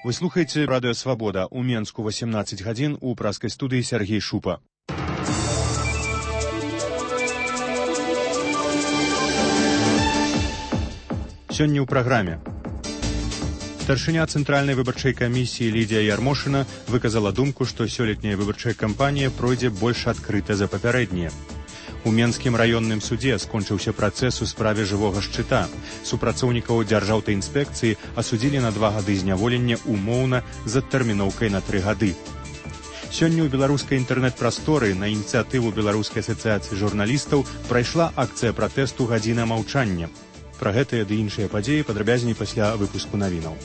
Вы слухаеце радыё «Свабода». У Менску 18 гадзін, у праскай студыі Сергей Шупа. Сёння ў праграме. Старшыня Цэнтральнай выбарчай камісіі Лідія Ярмошына выказала думку, што сёлетняя выбарчая кампанія пройдзе больш адкрыта за папярэднія. У Менскім раённым судзе скончыўся працэс у справе жывога шчыта. Супрацоўнікаў дзяржаўтаінспекцыі асудзілі на 2 гады зняволення умоўна з адтэрміноўкай на 3 гады. Сёння ў беларускай інтэрнэт-прасторы на ініцыятыву Беларускай асацыяцыі журналістаў прайшла акцыя пратэсту «Гадзіна маўчання». Пра гэтыя ды іншыя падзеі падрабязней пасля выпуску навінаў.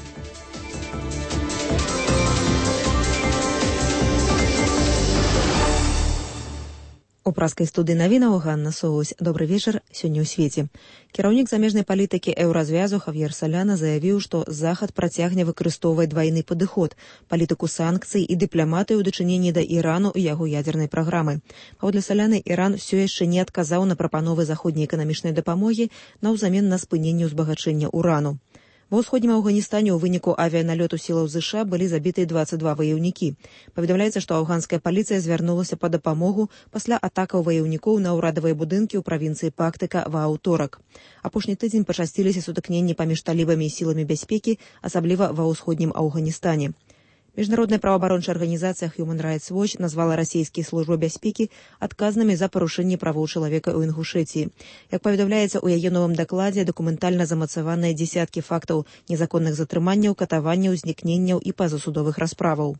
У праскай студыі навінаў Ганна Соусь. Добры вечар. Сёння ў свеце. Кіраўнік замежнай палітыкі Еўразвязу Хавьер Соляна заявіў, што Захад працягне выкарыстоўваць двайны падыход, палітыку санкцый і дыпламатыю ў дачыненні да Ірану і яго ядзернай праграмы. Паводле Соляны, Іран усё яшчэ не адказаў на прапановы заходняй эканамічнай дапамогі наўзамен на спыненне ўзбагачэння урану. Ва ўсходнім Афганістане ў выніку авіяналёту сілаў ЗША былі забітыя 22 ваяўнікі. Паведамляецца, што афганская паліцыя звярнулася па дапамогу пасля атакаў ваяўнікоў на ўрадавыя будынкі ў правінцыі Пактыка ва аўторак. Апошні тыдзень пачасціліся сутыкненні паміж талібамі і сіламі бяспекі, асабліва ва ўсходнім Афганістане. Міжнародная праваабарончая арганізацыя Human Rights Watch назвала расійскія службы бяспекі адказнымі за парушэнне правоў чалавека ў Інгушэцыі. Як паведамляецца ў яе новым дакладзе, дакументальна замацаваныя дзесяткі фактаў незаконных затрыманняў, катаванняў, знікненняў і пазасудовых расправаў.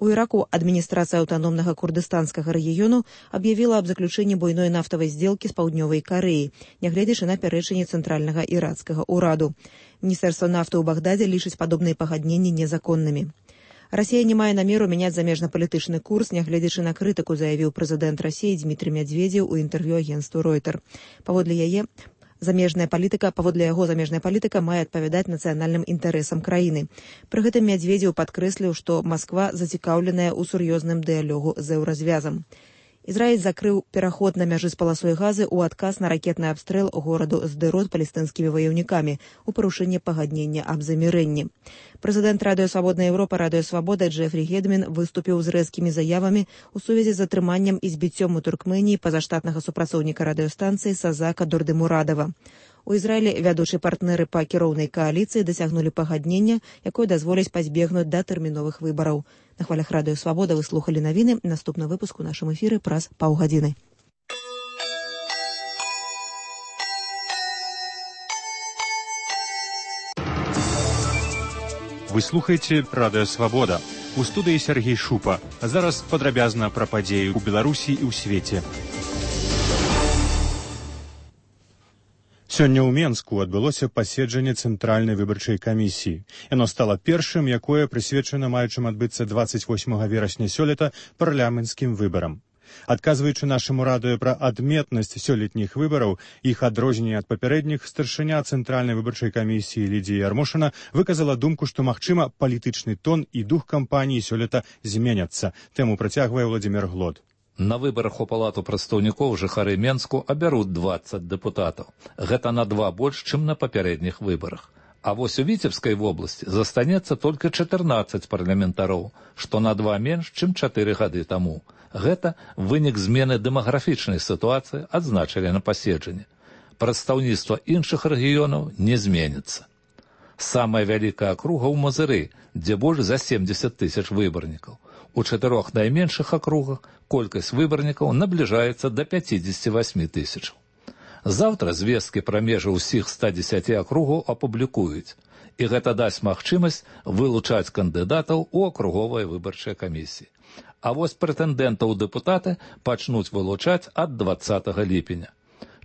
У Іраку адміністрацыя аўтаномнага курдыстанскага рэгіёну аб'явіла аб заключэнні буйной нафтавай здзелкі з паўднёвай Карэі, нягледзячы на пярэчанне цэнтральнага іракскага ўраду. Міністэрства нафты ў Багдадзе лічыць падобныя пагадненні незаконнымі. Расія не мае намеру мяняць замежна-палітычны курс, нягледзячы на крытыку, заявіў прэзідэнт Расіі Дмітрый Мядзведзеў у інтэрв'ю агенцтву Reuters. Паводле яго замежная палітыка мае адпавядаць нацыянальным інтарэсам краіны. Пры гэтым Мядзведзеў падкрэсліў, што Масква зацікаўленая ў сур'ёзным дыялогу з Еўразвязам. Ізраіль закрыў пераход на мяжы з паласой Газы ў адказ на ракетны абстрэл гораду Сдэрот палестынскімі ваяўнікамі у парушэнне пагаднення аб замірэнні. Прэзідэнт Радыё Свабодная Еўропа Радыё Свабода Джефрі Гедмін выступіў з рэзкімі заявамі ў сувязі з затрыманнем і збіццём у Туркменіі пазаштатнага супрацоўніка радыёстанцыі Сазака Дурдымурадова. У Ізраілі вядучыя партнеры па кіроўнай кааліцыі дасягнулі пагаднення, якое дазволіць пазбегнуць датэрміновых выбараў. На хвалях Радыё Свабода вы слухалі навіны. Наступны выпуск у нашым эфіры праз паўгадзіны. Вы слухаеце радыё «Свабода». У студыі Сергей Шупа. А зараз падрабязна пра падзеі ў Беларусі і ў свеце. Сёння ў Менску адбылося паседжанне Цэнтральнай выбарчай камісіі. Яно стала першым, якое прысвечана маючым адбыцца 28 верасня сёлета парламенцкім выбарам. Адказваючы нашаму радыё пра адметнасць сёлетніх выбараў, іх адрозненне ад папярэдніх, старшыня Цэнтральнай выбарчай камісіі Лідія Ярмошына выказала думку, што, магчыма, палітычны тон і дух кампаніі сёлета зменяцца. Тэму працягвае Владзімір Глод. На выбарах у палату прадстаўнікоў жыхары Менску абярут 20 дэпутатаў. Гэта на 2 больш, чым на папярэдніх выбарах. А вось у Віцебскай вобласці застанецца толькі 14 парламентароў, што на 2 менш, чым 4 гады таму. Гэта вынік змены дэмаграфічнай сітуацыі, адзначылі на паседжанні. Прадстаўніцтва іншых рэгіёнаў не зменіцца. Самая вялікая акруга ў Мазыры, дзе больш за 70 тысяч выбарнікаў. У 4 найменшых акругах колькасць выбарнікаў набліжаецца да 58 тысячаў. Заўтра звесткі пра межы ўсіх 110 акругаў апублікуюць, і гэта дасць магчымасць вылучаць кандыдатаў у акруговыя выбарчыя камісіі. А вось прэтэндэнтаў у дэпутаты пачнуць вылучаць ад 20 ліпеня.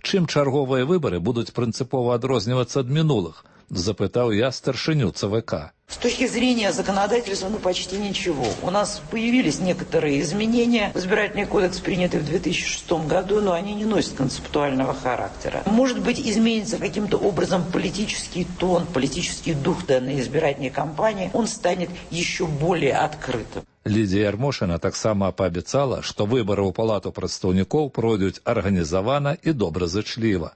Чым чарговыя выбары будуць прынцыпова адрознівацца ад мінулых, запытаў я старшыню ЦВК. С точки зрения законодательства, почти ничего. У нас появились некоторые изменения. Избирательный кодекс, принятый в 2006 году, но они не носят концептуального характера. Может быть, изменится каким-то образом политический тон, политический дух данной избирательной кампании. Он станет еще более открытым. Лідія Ярмошына таксама паабяцала, што выбары ў палату прадстаўнікоў пройдуць арганізавана і добразычліва.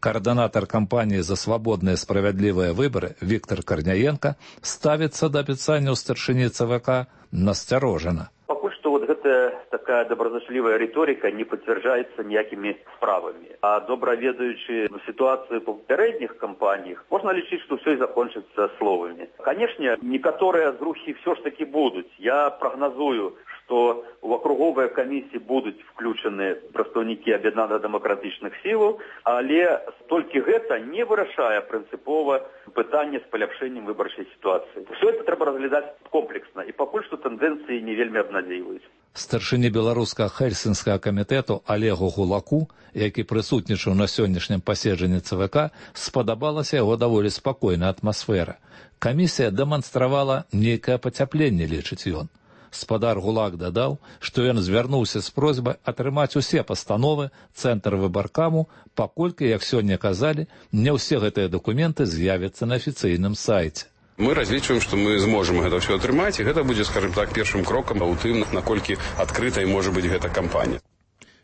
Координатор кампании «За свободные справедливые выборы» Виктор Корняенко ставится до описания у старшыні ЦВК настороженно. Пакуль што гэта такая добразычлівая рыторыка не пацвярджаецца ніякімі справамі. А добра ведаючы сітуацыю па папярэдніх кампаніях, можна лічыць, што ўсё і закончыцца словамі. Канешне, некаторыя зрухі ўсё ж такі будуць. Я прагназую, што у акруговыя камісіі будуць включаны прадстаўнікі аб'яднана-дэмакратычных сілаў, але толькі гэта не вырашае прынцыпова пытанне з паляпшэннем выбарчай сітуацыі. Все это трэба разглядаць комплексна, і пакуль што тэндэнцыі не вельмі абнадзейваюць. Старшыні беларускага хельсінскага камітэту Олегу Гулаку, які прысутнічаў на сённяшнім паседжанні ЦВК, спадабалася яго даволі спакойная атмасфера. Камісія дэманстравала нейкае пацяпленне, лічыць ён. Спадар Гулак дадаў, што ён звярнуўся з просьбай атрымаць усе пастановы Цэнтр выбаркаму, паколькі, як сёння казалі, не ўсе гэтыя дакументы з'явяцца на афіцыйным сайце. Мы разлічваем, што мы зможам гэта ўсё атрымаць, і гэта будзе, скажем так, першым крокам у тым, наколькі адкрытай можа быць гэта кампанія.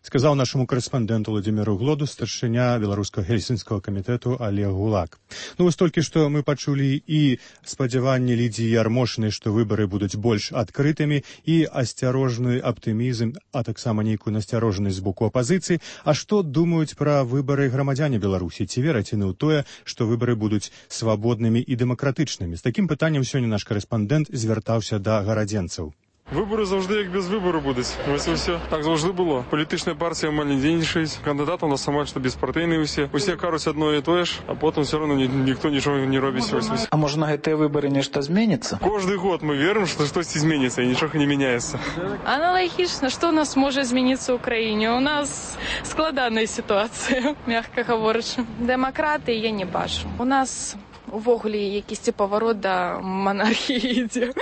Сказаў нашаму корэспандэнту Владимиру Глоду старшыня беларускага хельсінскага камітэту Олег Гулак. Ну, вось толькі што мы пачулі і спадзяванні Лідзіі Ярмошынай, што выбары будуць больш адкрытымі, і асцярожны аптымізм, а таксама нейкую насцярожанасць з боку апазіцыі. А што думаюць пра выбары грамадзяне Беларусі? Ці вераць яны ў тое, што выбары будуць свабоднымі і дэмакратычнымі? З такім пытаннем сёння наш корэспандэнт звяртаўся да гарадзенцаў. Вибори завжди як без вибору будуть. Ось і все. Так завжди було. Політична партія мало не денежить. Кандидат у нас майже безпартійний усі. Усі кажуть одно і те ж, а потім все одно ніхто нічого не робить. А може на ці вибори нечто зміниться? Кожний год ми віримо, що щось зміниться і нічого не міняється. Аналогічно, що у нас може змінитися в Україні? У нас складана ситуація, м'яко говорячи. Демократи я не бачу. У нас увогуле якийсь поворот до монархии идет.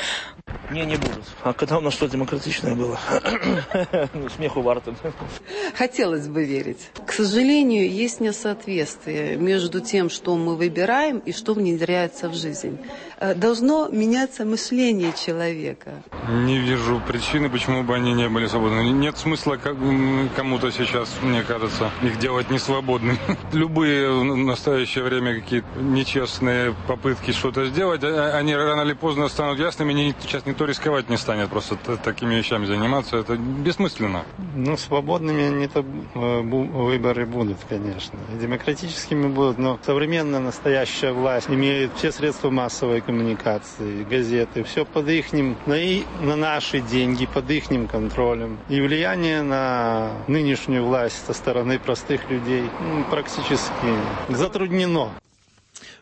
Не будут. А когда у нас что демократичное было? Смеху варто. Хотелось бы верить. К сожалению, есть несоответствие между тем, что мы выбираем и что внедряется в жизнь. Должно меняться мышление человека. Не вижу причины, почему бы они не были свободны. Нет смысла кому-то сейчас, мне кажется, их делать несвободными. Любые в настоящее время какие-то нечестные попытки что-то сделать, они рано или поздно станут ясными. Сейчас никто рисковать не станет, просто такими вещами заниматься. Это бессмысленно. Ну, свободными не-то выборы будут, конечно. Демократическими будут, но современная настоящая власть имеет все средства массовой коммуникации, газеты, все под ихним, на наши деньги, под ихним контролем. И влияние на нынешнюю власть со стороны простых людей практически затруднено.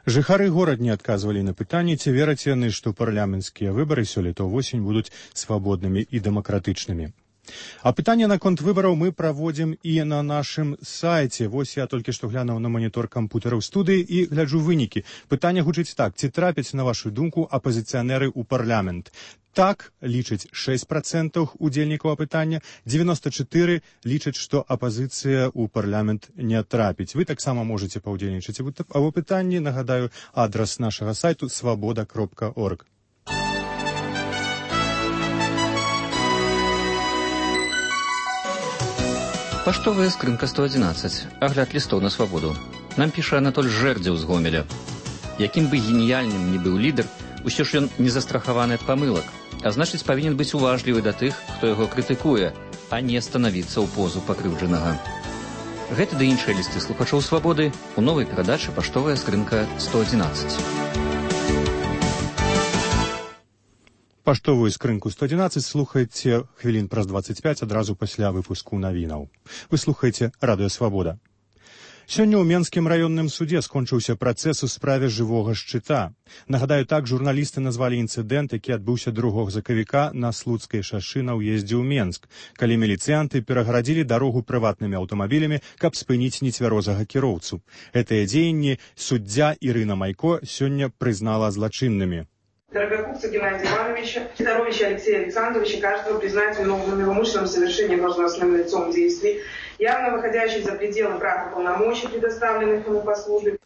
Жыхары горад не адказвалі на пытанне, ці вераць яны, што парламенцкія выбары сёлета ўвосень будуць свабоднымі і дэмакратычнымі. А пытанне наконт выбараў мы праводзім і на нашым сайце. Вось я толькі што глянуў на манітор кампутера ў студыі і гляджу вынікі. Пытанне гучыць так: ці трапяць, на вашу думку, апазіцыянеры ў парламент? Так лічаць 6% удзельнікаў апытання, 94% лічаць, што апазіцыя ў парламент не трапіць. Вы таксама можаце паўдзельнічаць у апытанні. Нагадаю, адрас нашага сайту свабода.орг. Паштовая скрынка 111. Агляд лістоў на свабоду. Нам піша Анатоль Жэрдзеў з Гомеля. Якім бы геніяльным ні быў лідар, усё ж ён не застрахаваны ад памылак, а значыць павінен быць уважлівы да тых, хто яго крытыкуе, а не станавіцца ў позу пакрыўджанага. Гэта ды іншыя лісты слухачоў свабоды у новай перадачы «Паштовая скрынка 111». Паштовую скрынку 111 слухайце хвілін праз 25 адразу пасля выпуску навінаў. Вы слухаеце радыё «Свабода». Сёння ў Менскім раённым судзе скончыўся працэс у справе жывога шчыта. Нагадаю, так журналісты назвалі інцыдэнт, які адбыўся 2 сакавіка на Слуцкай шашы на ўездзе ў Менск, калі міліцыянты перагарадзілі дарогу прыватнымі аўтамабілямі, каб спыніць нецвярозага кіроўцу. Гэтыя дзеянні суддзя Ірына Майко сёння прызнала злачыннымі. Дорогокупца Геннадия Ивановича, Федоровича Алексея Александровича, каждого признать виновными в умышленном совершении должностным лицом действий, явно выходящих за пределы прав и полномочий, предоставленных ему по службе.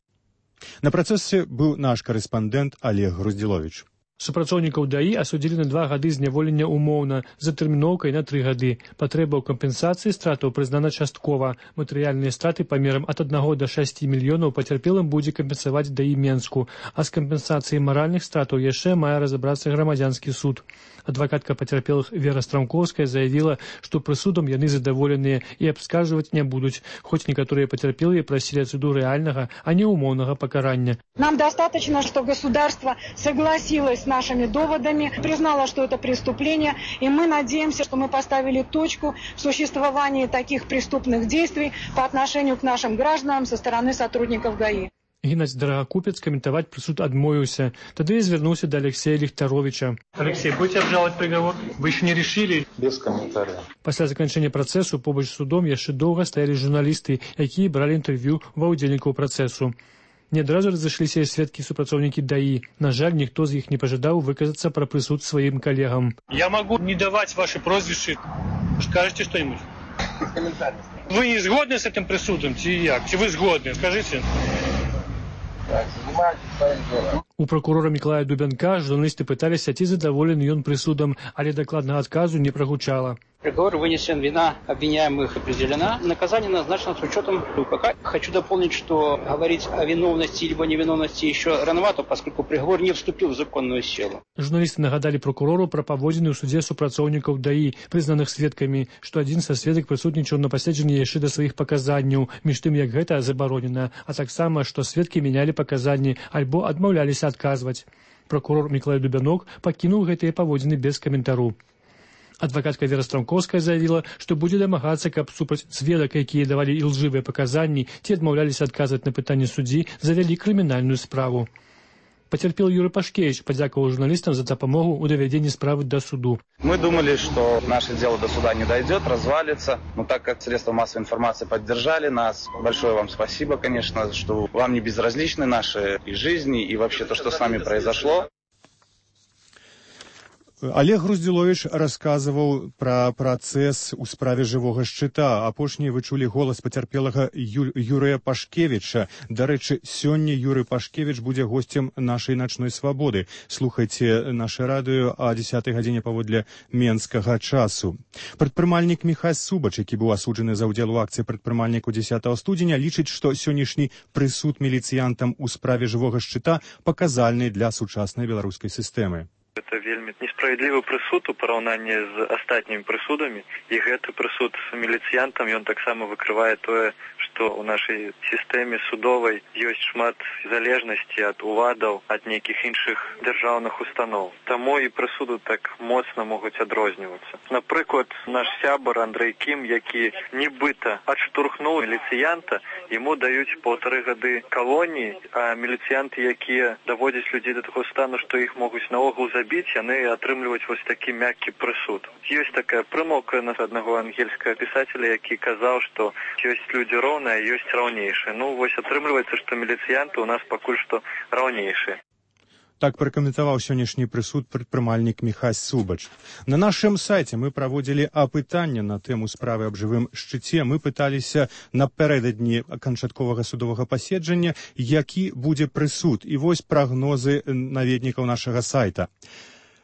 На працэсе быў наш корэспандэнт Олег Груздзіловіч. Супрацоўнікаў ДАІ асудзілі на 2 гады зняволення умоўна, з атэрміноўкай на 3 гады. Патрэба ў кампенсацыі стратаў прызнана часткова. Матэрыяльныя страты памерам ад 1 до 6 мільёнаў пацярпелым будзе кампенсаваць ДАІ Менску, а з кампенсацыяй маральных стратаў яшчэ мае разабрацца грамадзянскі суд. Адвакатка пацярпелых Вера Страмкоўская заявіла, што прысудам яны задаволеныя і абскарджваць не будуць, хоць некаторыя пацярпелыя прасілі ад суду рэальнага, а не умоўнага пакарання. Нам достаточно, что государство согласилось с нашими доводами, признало, что это преступление, и мы надеемся, что мы поставили точку в существовании таких преступных действий по отношению к нашим гражданам со стороны сотрудников ГАИ. Геннадзь Драгакупец каментаваць прысуд адмовіўся. Тады і звярнуўся да Алексея Ліхтаровича. Алексей, будете обжаловать приговор? Вы еще не решили? Без комментариев. Пасля заканчэння працэсу побач з судом яшчэ доўга стаялі журналісты, якія бралі інтэрв'ю ва ўдзельнікаў працэсу. Не адразу разышліся і сведкі супрацоўнікі ДАІ. На жаль, ніхто з іх не пажадаў выказацца пра прысуд сваім калегам. Я могу не давать ваши прозвища. Скажите что-нибудь? Вы не згодны с этим присудом? Ці як? Ці вы згодны? Скажите. У прокурора Миколая Дубянка журналисты пытались, ці задоволены ён присудом, але докладного отказу не прогучало. Приговор вынесен, вина обвиняемых определена. Наказание назначено с учетом УПК. Хочу дополнить, что говорить о виновности либо невиновности еще рановато, поскольку приговор не вступил в законную силу. Журналисты нагадали прокурору про паводзіны ў судзе супрацоўнікаў ДАІ, прызнаных сведкамі, што адзін са сведак прысутнічаў на паседжанні яшчэ да сваіх паказанняў, між тым як гэта забаронена, а таксама, што сведкі мянялі паказанні альбо адмаўляліся адказваць. Прокурор Миколай Дубянок пакінуў гэтыя паводзіны без каментару. Адвакатка Вера Страмкоўская заявіла, што будзе дамагацца, каб супраць сведак, якія давалі ілжывыя паказанні, ці адмаўляліся адказваць на пытанні суддзі, завялі крымінальную справу. Потерпел Юрий Пашкевич, подяковал журналистам за допомогу у доведении справы до суду. Мы думали, что наше дело до суда не дойдет, развалится. Но так как средства массовой информации поддержали нас, большое вам спасибо, конечно, что вам не безразличны наши и жизни, и вообще то, что с нами произошло. Олег Груздзіловіч расказваў пра працэс у справе жывога шчыта. Апошнія вы чулі голас пацярпелага Юрыя Пашкевіча. Дарэчы, сёння Юрый Пашкевіч будзе госцем нашай начной свабоды. Слухайце наше радыё о 10 гадзіне паводле менскага часу. Прадпрымальнік Міхась Субач, які быў асуджаны за ўдзел у акцыі прадпрымальніку 10 студзеня, лічыць, што сённяшні прысуд міліцыянтам у справе жывога шчыта паказальны для сучаснай беларускай сістэмы. Это вельмі несправедливый прысуд у параўнанні з астатнімі прысудамі, і гэты прысуд міліцыянтам ён таксама выкрывае тое, што ў нашай сістэме судовай ёсць шмат залежнасці ад уладаў, ад нейкіх іншых дзяржаўных устаноў. Таму і прысуды так моцна могуць адрознівацца. Напрыклад, наш сябар Андрэй Кім, які нібыта адштурхнуў міліцыянта, яму даюць 1,5 гады калоніі, а міліцыянты, якія даводзяць людзей да таго стану, што іх могуць наогул забіць, яны атрымліваюць вось такі мяккі прысуд. Ёсць такая прымаўка на аднаго ангельскага пісателя, які казаў, што ёсць людзі роўныя, ёсць раўнейшыя. Ну, вось атрымліваецца, што міліцыянты у нас пакуль што раўнейшыя. Так пракаментаваў сённяшні прысуд прадпрымальнік Міхась Субач. На нашым сайце мы праводзілі апытанне на тэму справы аб жывым шчыце. Мы пыталіся напярэдадні канчатковага судовага паседжання, які будзе прысуд. І вось прагнозы наведнікаў нашага сайта.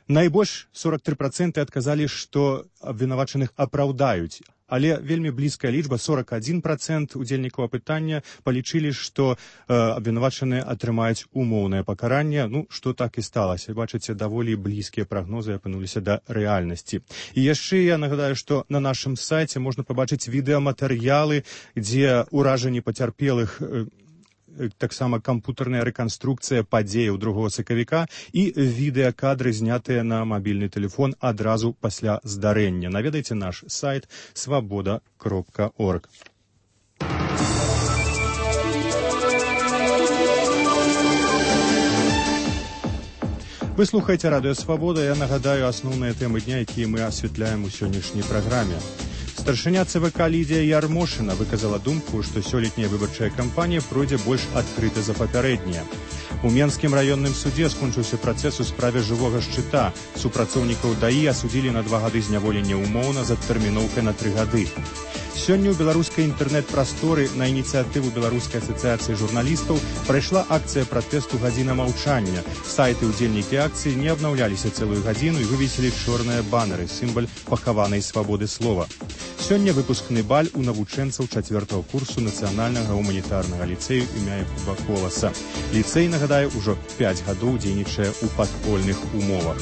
Найбольш 43% адказалі, што абвінавачаных апраўдаюць. Але вельмі блізкая лічба, 41% удзельнікаў апытання палічылі, што абвінавачаныя атрымаюць умоўнае пакаранне. Ну, што так і сталася. Бачыце, даволі блізкія прагнозы апынуліся да рэальнасці. І яшчэ я нагадаю, што на нашым сайце можна пабачыць відэаматэрыялы, дзе ўражанні пацярпелых, таксама кампутарная рэканструкцыя падзеяў 2 сакавіка і відэакадры, знятыя на мабільны тэлефон адразу пасля здарэння. Наведайце наш сайт swaboda.org. Вы слухаеце радыё Свабода. Я нагадаю асноўныя тэмы дня, якія мы асвятляем у сённяшняй праграме. Старшыня ЦВК Лідія Ярмошына выказала думку, што сёлетняя выбарчая кампанія пройдзе больш адкрыта за папярэдняя. У Менскім раённым судзе скончыўся працэс у справе жывога шчыта. Супрацоўнікаў ДАІ асудзілі на 2 гады зняволення ўмоўна з адтэрміноўкай на 3 гады. Сёння ў беларускай інтэрнэт-прасторы на ініцыятыву Беларускай асацыяцыі журналістаў прайшла акцыя пратэсту «Гадзіна маўчання». Сайты ўдзельнікі акцыі не абнаўляліся цэлую гадзіну і вывесілі чорныя банеры, сімвал пахаванай свабоды слова. Сёння выпускны баль у навучэнцаў 4-го курсу нацыянальнага гуманітарнага ліцэю імя Якуба Коласа. Ліцэй, нагадаю, ужо 5 гадоў дзейнічае ў падпольных умовах.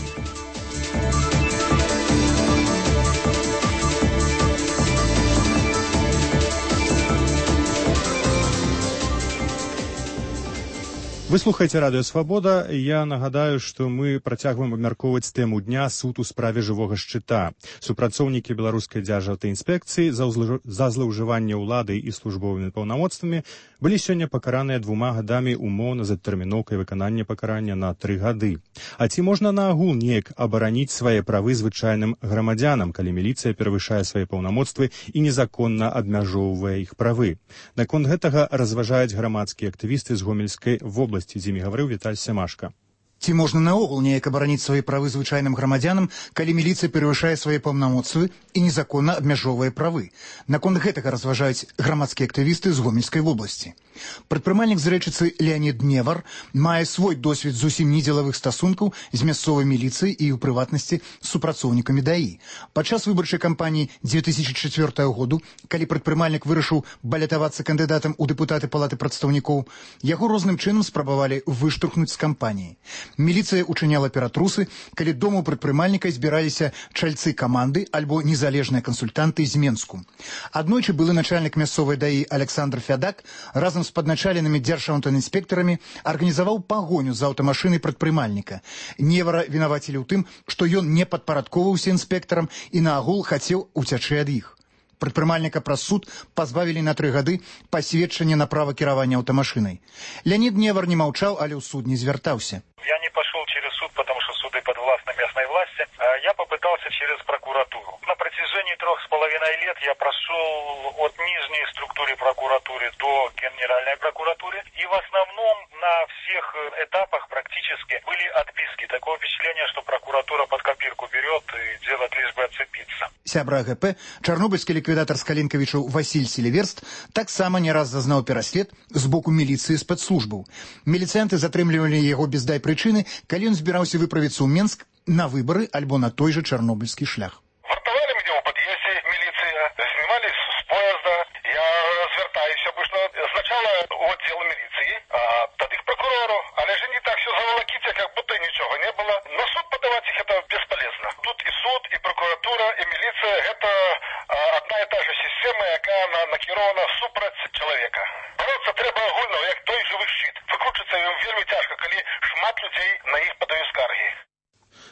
Вы слухаеце радыё «Свабода». Я нагадаю, што мы працягваем абмяркоўваць тэму дня суд у справе жывога шчыта. Супрацоўнікі беларускай дзяржаўтаінспекцыі за злоўжыванне ўладай і службовымі паўнамоцтвамі былі сёння пакараныя 2 гадамі умоўна з адтэрміноўкай выканання пакарання на 3 гады. А ці можна наогул неяк абараніць свае правы звычайным грамадзянам, калі міліцыя перавышае свае паўнамоцтвы і незаконна абмяжоўвае іх правы? Наконт гэтага разважаюць грамадскія актывісты з Гомельскай вобласці. З імі гаварыў Віталь Семашка. Ці можна наогул неяк абараніць свае правы звычайным грамадзянам, калі міліцыя перавышае свае паўнамоцтвы і незаконна абмяжоўвае правы? Наконт гэтага разважаюць грамадскія актывісты з Гомельскай вобласці. Прадпрымальнік з Рэчыцы Леанід Невар мае свой досвед зусім недзелавых стасункаў з мясцовай міліцыяй і, у прыватнасці, з супрацоўнікамі ДАІ. Падчас выбарчай кампаніі 2004 году, калі прадпрымальнік вырашыў балятавацца кандыдатам у дэпутаты Палаты прадстаўнікоў, яго розным чынам спрабавалі выштурхнуць з кампаніі. Міліцыя учыняла ператрусы, калі дома ў прадпрымальніка збіраліся чальцы каманды альбо незалежныя кансультанты з Менску. Аднойчы былы начальнік мясцовай ДАІ Александр Фядак разам з падначаленымі дзяржаўтаінспектарамі арганізаваў пагоню за аўтамашынай прадпрымальніка. Невара вінавацілі ў тым, што ён не падпарадковаўся інспектарам і наогул хацеў уцячы ад іх. Прадпрымальніка праз суд пазбавілі на 3 гады пасведчання на права кіравання аўтамашынай. Леонид Невар не маўчаў, але ў суд не звяртаўся. Я не пошел через суд, потому что суды подвластны местной власти. Я попытался через прокуратуру. На протяжении 3,5 лет я прошел от нижней структуры прокуратуры до Генеральной прокуратуры. И в основном на всех этапах практически были отписки. Такое впечатление, что прокуратура под копирку берет и делает лишь бы отцепиться. Сябра АГП, чарнобыльскі ліквідатар Скалінкавічаў Васіль Селіверст таксама не раз зазнаў пераслед з боку міліцыі спецслужбаў. Міліцыянты затрымлівалі яго без дай прычыны, калі ён збіраўся выправіцца ў Менск на выбары альбо на той же чарнобыльскі шлях. Вартовали меня у подъезде милиция, снимали с поезда. Я звертаюсь обычно сначала у отдела милиции, а тады к прокурору. Але же не так все заволоките, как будто ничего не было. На суд подавать их это бесполезно. Тут и суд, и прокуратура, и милиция – это одна и та же система, яка накірована супраць чалавека. Бороться трэба агульно, як той жывы шчыт. Выкручвацца ім вельмі цяжка, калі шмат людзей на іх падаюць скаргі.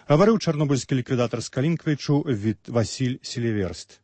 Гаварыў чарнобыльскі ліквідатар Скалінкавічу Васіль Селіверст.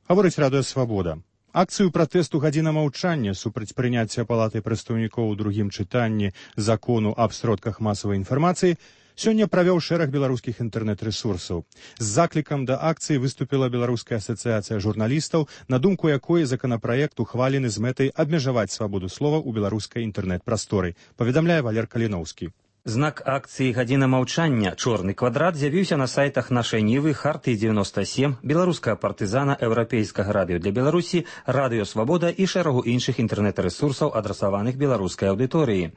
Гаворыць радыё «Свабода». Акцыю пратэсту «Гадзіна маўчання» супраць прыняцця Палатай прадстаўнікоў у другім чытанні закону аб сродках масавай інфармацыі сёння правёў шэраг беларускіх інтэрнэт-рэсурсаў. З заклікам да акцыі выступіла Беларуская асацыяцыя журналістаў, на думку якой законапраект ухвалены з мэтай абмежаваць свабоду слова ў беларускай інтэрнэт-прасторы, паведамляе Валер Каліноўскі. Знак акцыі «Гадзіна маўчання» «Чорны квадрат» з'явіўся на сайтах нашай Нівы, Хартыі 97, беларускага партызана, еўрапейскага радыё для Беларусі, радыё «Свабода» і шэрагу іншых інтэрнэт-рэсурсаў, адрасаваных беларускай аўдыторыі.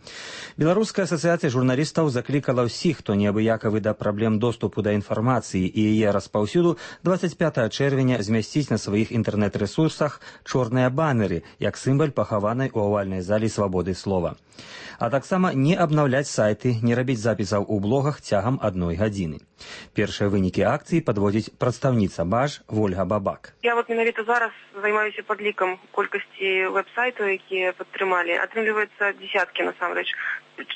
Беларуская асацыяцыя журналістаў заклікала ўсіх, хто неабыякавы да праблем доступу да інфармацыі і яе распаўсюду, 25 чэрвеня змясціць на сваіх інтэрнэт-рэсурсах чорныя банеры, як сімвал пахаванай у авальнай залі свабоды слова. А таксама не абнаўляць сайты, не рабіць запісаў у блогах цягам 1 гадзіны. Першыя вынікі акцыі падводзіць прадстаўніца БАЖ Вольга Бабак. Я менавіта зараз займаюся падлікам колькасці вэб-сайтаў, якія падтрымалі. Атрымліваецца дзесяткі насамрэч.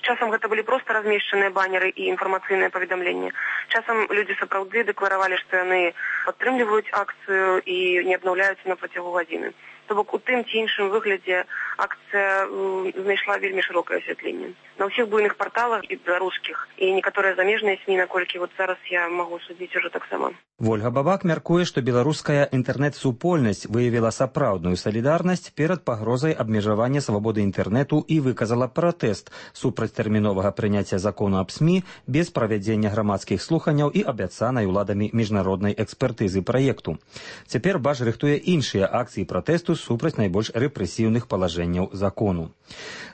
Часам гэта былі проста размешчаныя банеры і інфармацыйныя паведамленні. Часам людзі сапраўды дэкларавалі, што яны падтрымліваюць акцыю і не абнаўляюцца на працягу гадзіны. То бок у тым ці іншым выглядзе акцыя знайшла вельмі шырокае асвятленне. На ўсіх буйных парталах і беларускіх, і некаторыя замежныя СМІ, наколькі вот зараз я магу судзіць ужо таксама. Вольга Бабак мяркуе, што беларуская інтэрнэт-супольнасць выявіла сапраўдную салідарнасць перад пагрозай абмежавання свабоды інтэрнэту і выказала пратэст супраць тэрміновага прыняцця закону аб СМІ без правядзення грамадскіх слуханняў і абяцанай уладамі міжнароднай экспертызы праекту. Цяпер БАЖ рыхтуе іншыя акцыі пратэсту супраць найбольш рэпрэсіўных палажэнняў закону.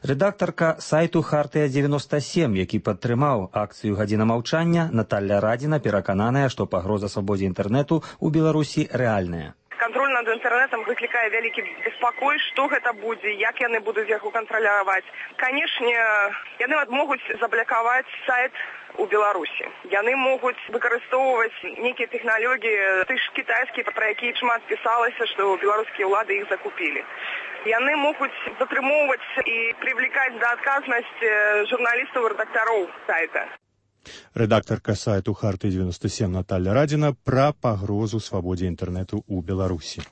Рэдактарка сайту «Хартыя-97», які падтрымаў акцыю «Гадзіна маўчання», Наталля Радзіна перакананая, што пагроза свабодзе інтэрнэту ў Беларусі рэальная. Контроль над інтэрнэтам выклікае вялікі беспакой, што гэта будзе, як яны будуць яго кантраляваць. Канешне, яны могуць заблакаваць сайт у Беларусі. Яны могуць выкарыстоўваць нейкія тэхналогіі, ты ж кітайскія, пра якія шмат пісалася, што беларускія ўлады іх закупілі. Яны могуць затрымоўваць і прывлекаць да адказнасці журналістаў і рэдактароў сайта. Рэдактарка сайту «Хартыя-97» Наталля Радзіна пра пагрозу свабодзе інтэрнэту ў Беларусі.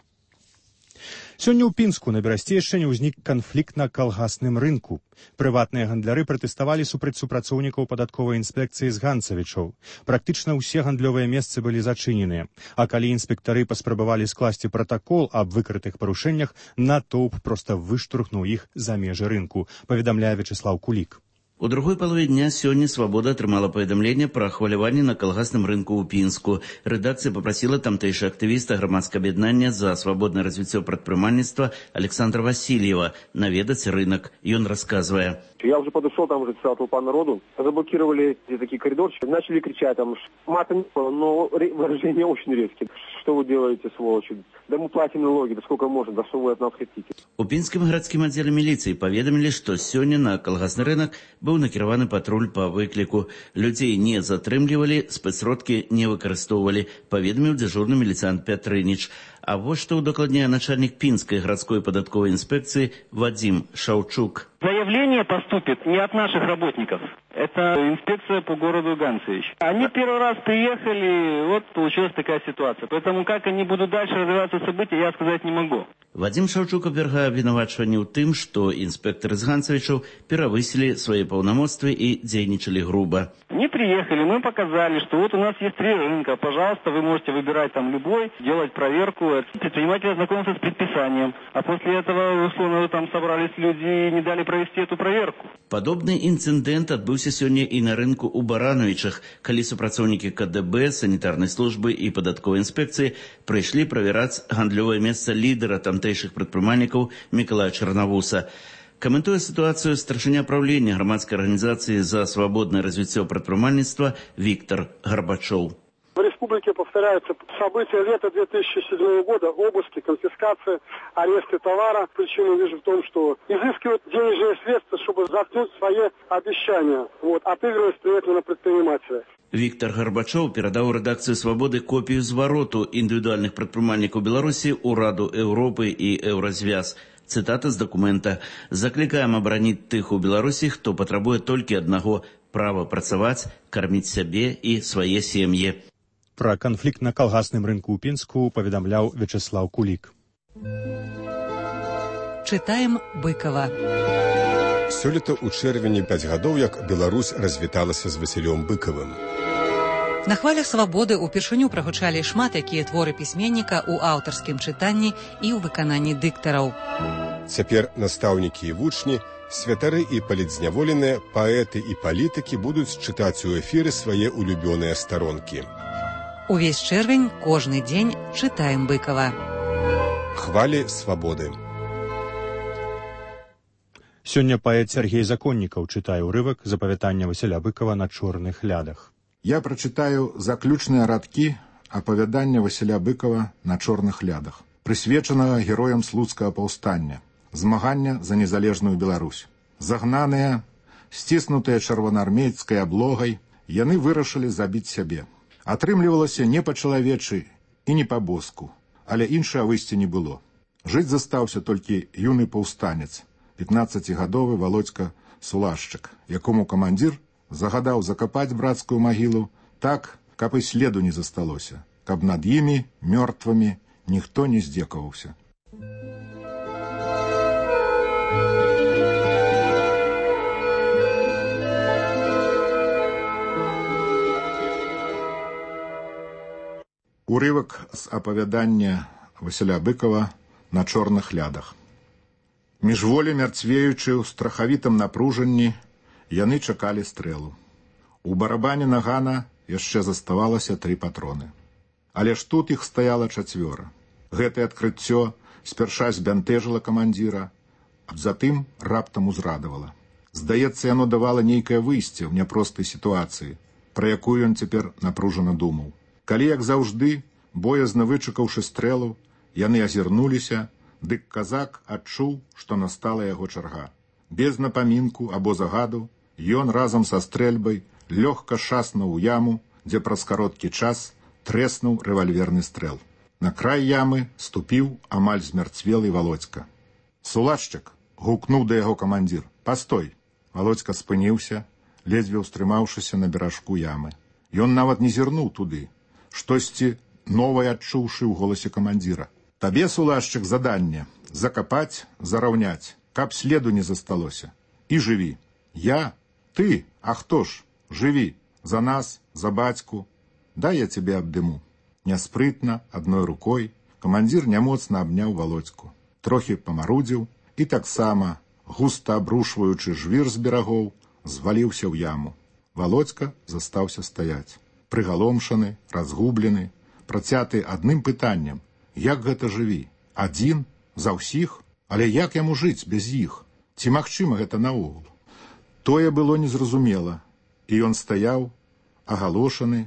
Сёння ў Пінску на Берасцейшчыне ўзнік канфлікт на калгасным рынку. Прыватныя гандляры пратэставалі супраць супрацоўнікаў падатковай інспекцыі з ганцавічоў. Практычна ўсе гандлёвыя месцы былі зачыненыя. А калі інспектары паспрабавалі скласці пратакол аб выкрытых парушэннях, натоўп проста выштурхнуў іх за межы рынку, паведамляе Вячеслаў Кулік. У другой палове дня сёння «Свабода» атрымала паведамленне пра хваляванне на калгасным рынку ў Пінску. Рэдакцыя папрасіла тамтэйшы актывіста грамадскага аб'яднання за свабоднае развіццё прадпрымальніцтва Александра Васильева наведаць рынок. Ён расказвае. Я уже подошел, там уже целая толпа народу. Заблокировали где такие коридорчики. Начали кричать, там мата не было, но выражения очень резкие. Что вы делаете, сволочи? Да мы платим налоги, да сколько можно, да что вы от нас хотите? У Пінскім гарадскім аддзеле міліцыі паведамілі, што сёння на калгасны рынок быў накіраваны патруль па выкліку. Людзей не затрымлівалі, спецсродкі не выкарыстоўвалі, паведаміў дзяжурны міліцыянт Пятрыніч. А вот что удокладняе начальник Пинской городской податковой инспекции Вадим Шаучук. Заявление поступит не от наших работников. Это инспекция по городу Ганцевич. Они первый раз приехали, вот получилась такая ситуация. Поэтому как они будут дальше развиваться события, я сказать не могу. Вадим Шаучук абвяргае абвінавачванне ў тым, што інспектары з ганцавічаў перавысілі свае паўнамоцтвы і дзейнічалі груба. Не приехали, мы показали, что вот у нас есть 3 рынка. Пожалуйста, вы можете выбирать там любой, делать проверку. Предприниматель ознакомился с предписанием. А после этого, условно, там собрались люди и не дали провести эту проверку. Падобны інцыдэнт адбыўся сёння і на рынку ў Барановічах, калі супрацоўнікі КДБ, санітарнай службы і падатковай інспекцыі прыйшлі правяраць гандлёвае месца лідара тамтэйшых прадпрымальнікаў Мікалая Чарнавуса. Каментуе ситуацию старшыня правления громадской организации за свободное развитие предпринимательства Виктор Горбачев. В республике повторяются события лета 2007 года, обыски, конфискация, аресты товара. Причину вижу в том, что изыскивают денежные средства, чтобы заткнуть свои обещания, отыгрываясь при этом на предпринимателя. Виктор Горбачев передал редакцию «Свободы» копию звороту индивидуальных предпринимательников Беларуси у Раду Европы и Еврозвяз. Цитата з документа. «Закликаем оборонить тых у Беларусі, хто патрабуе толькі аднаго – права працаваць, карміць сябе і свае сем'і». Пра канфлікт на калгасным рынку ў Пінску паведамляў Вячеслаў Кулік. Чытаем Быкова. Сёлета ў чэрвені 5 гадоў, як Беларусь развіталася з Васілём Быкавым. На хвалях свабоды ўпершыню прагучалі шмат якія творы пісьменніка ў аўтарскім чытанні і ў выкананні дыктараў. Цяпер настаўнікі і вучні, святары і палітзняволеныя, паэты і палітыкі будуць чытаць у эфіры свае улюбёныя старонкі. Увесь чэрвень, кожны дзень чытаем Быкава. Хвалі свабоды. Сёння паэт Сергей Законнікаў чытае ўрывак з апавядання Васіля Быкава «На чорных лядах». Я прачытаю заключныя радкі апавядання Васіля Быкава «На чорных лядах», прысвечанага героям слуцкага паўстання, змагання за незалежную Беларусь. Загнаныя, сціснутыя чырвонаармейскай аблогай, яны вырашылі забіць сябе. Атрымлівалася не па-чалавечы і не па-боску, але іншага выйсця не было. Жыць застаўся толькі юны паўстанец, 15-гадовы Володька Сулашчык, якому камандзір загадаў закапаць брацкую магілу так, каб і следу не засталося, каб над імі, мёртвымі, ніхто не здзекаваўся. Урывак з апавядання Васіля Быкова «На чорных лядах». Міжволі мярцвеючы ў страхавітым напружанні, яны чакалі стрэлу. У барабане нагана яшчэ заставалася 3 патроны. Але ж тут іх стаяла 4. Гэтае адкрыццё спярша збянтэжыла камандзіра, а затым раптам узрадавала. Здаецца, яно давала нейкае выйсце ў няпростай сітуацыі, пра якую ён цяпер напружана думаў. Калі, як заўжды, боязна вычакаўшы стрэлу, яны азірнуліся, дык казак адчуў, што настала яго чарга. Без напамінку або загаду ён разам са стрэльбай лёгка шаснуў у яму, дзе праз кароткі час трэснуў рэвальверны стрэл. На край ямы ступіў амаль змярцвелы Володька. «Сулашчык!» — гукнуў да яго камандзір. «Пастой!» Володька спыніўся, ледзьве ўстрымаўшыся на беражку ямы. Ён нават не зірнуў туды, штосьці новае адчуўшы ў голасе камандзіра. «Табе, Сулашчык, заданне — закапаць, зараўняць, каб следу не засталося. І жыві. Я? Ты? А хто ж? Жыві. За нас, за бацьку. Дай я цябе абдыму». Няспрытна, адной рукой, камандзір нямоцна абняў Володьку. Трохі памарудзіў і таксама, густа абрушваючы жвір з берагоў, зваліўся ў яму. Володька застаўся стаяць. Прыгаломшаны, разгублены, працяты адным пытаннем: як гэта жыві? Адзін? За ўсіх? Але як яму жыць без іх? Ці магчыма гэта наогул? Тое было незразумела, і ён стаяў, агалошаны,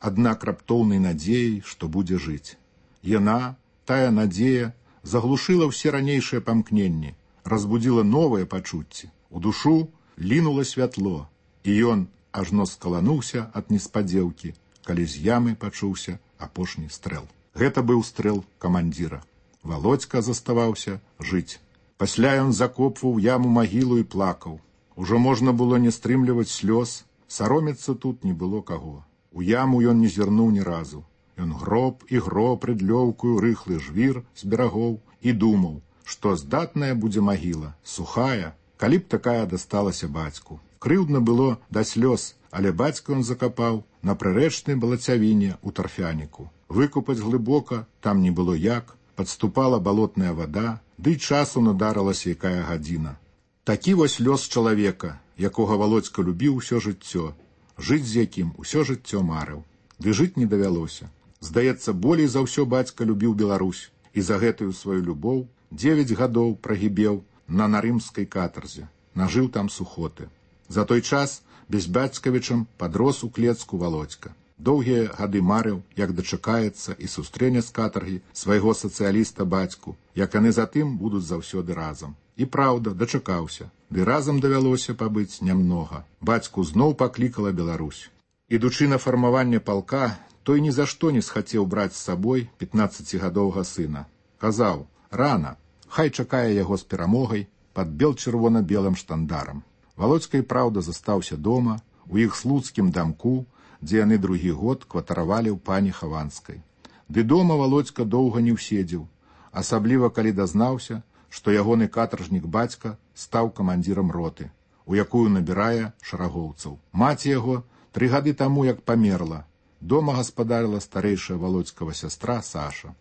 аднак раптоўнай надзеяй, што будзе жыць. Яна, тая надзея, заглушыла ўсе ранейшыя памкненні, разбудзіла новыя пачуцці. У душу лінула святло, і ён ажно скалануўся ад неспадзеўкі, калі з ямы пачуўся апошні стрэл. Гэта быў стрэл камандзіра. Володька заставаўся жыць. Пасля ён закопваў яму магілу і плакаў. Ужо можна было не стрымліваць слёз, саромецца тут не было каго. У яму ён не зірнуў ні разу. Ён гроб і гроб рыдлёўкую рыхлы жвір з берагоў і думаў, што здатная будзе магіла, сухая, калі б такая дасталася бацьку. Крыўдна было да слёз, але бацька ён закапаў на прырэчнай балацявіне ў тарфяніку. Выкупаць глыбока там не было як, падступала балотная вада, ды й часу надарылася якая гадзіна. Такі вось лёс чалавека, якога Володька любіў усё жыццё, жыць з якім усё жыццё марыў. Ды жыць не давялося. Здаецца, болей за ўсё бацька любіў Беларусь, і за гэтую сваю любоў 9 гадоў прагібеў на нарымскай катарзе, нажыў там сухоты. За той час безбацькавічам падрос у клецку Володька. Доўгія гады марыў, як дачакаецца і сустрэне з катаргі свайго сацыяліста бацьку, як яны затым будуць заўсёды разам. І праўда, дачакаўся, ды разам давялося пабыць нямнога. Бацьку зноў паклікала Беларусь. Ідучы на фармаванне палка, той ні за што не схацеў браць з сабой 15гадовага сына. Казаў: рана, хай чакае яго з перамогай пад бел-чырвона-белым штандарам. Володька і праўда застаўся дома, у іх слуцкім дамку, дзе яны другі год кватаравалі ў пані Хаванскай. Ды дома Володька доўга не ўседзеў, асабліва калі дазнаўся, што ягоны катаржнік бацька стаў камандзірам роты, у якую набірае шарагоўцаў. Маці яго 3 гады таму як памерла. Дома гаспадарыла старэйшая Володькава сястра Саша,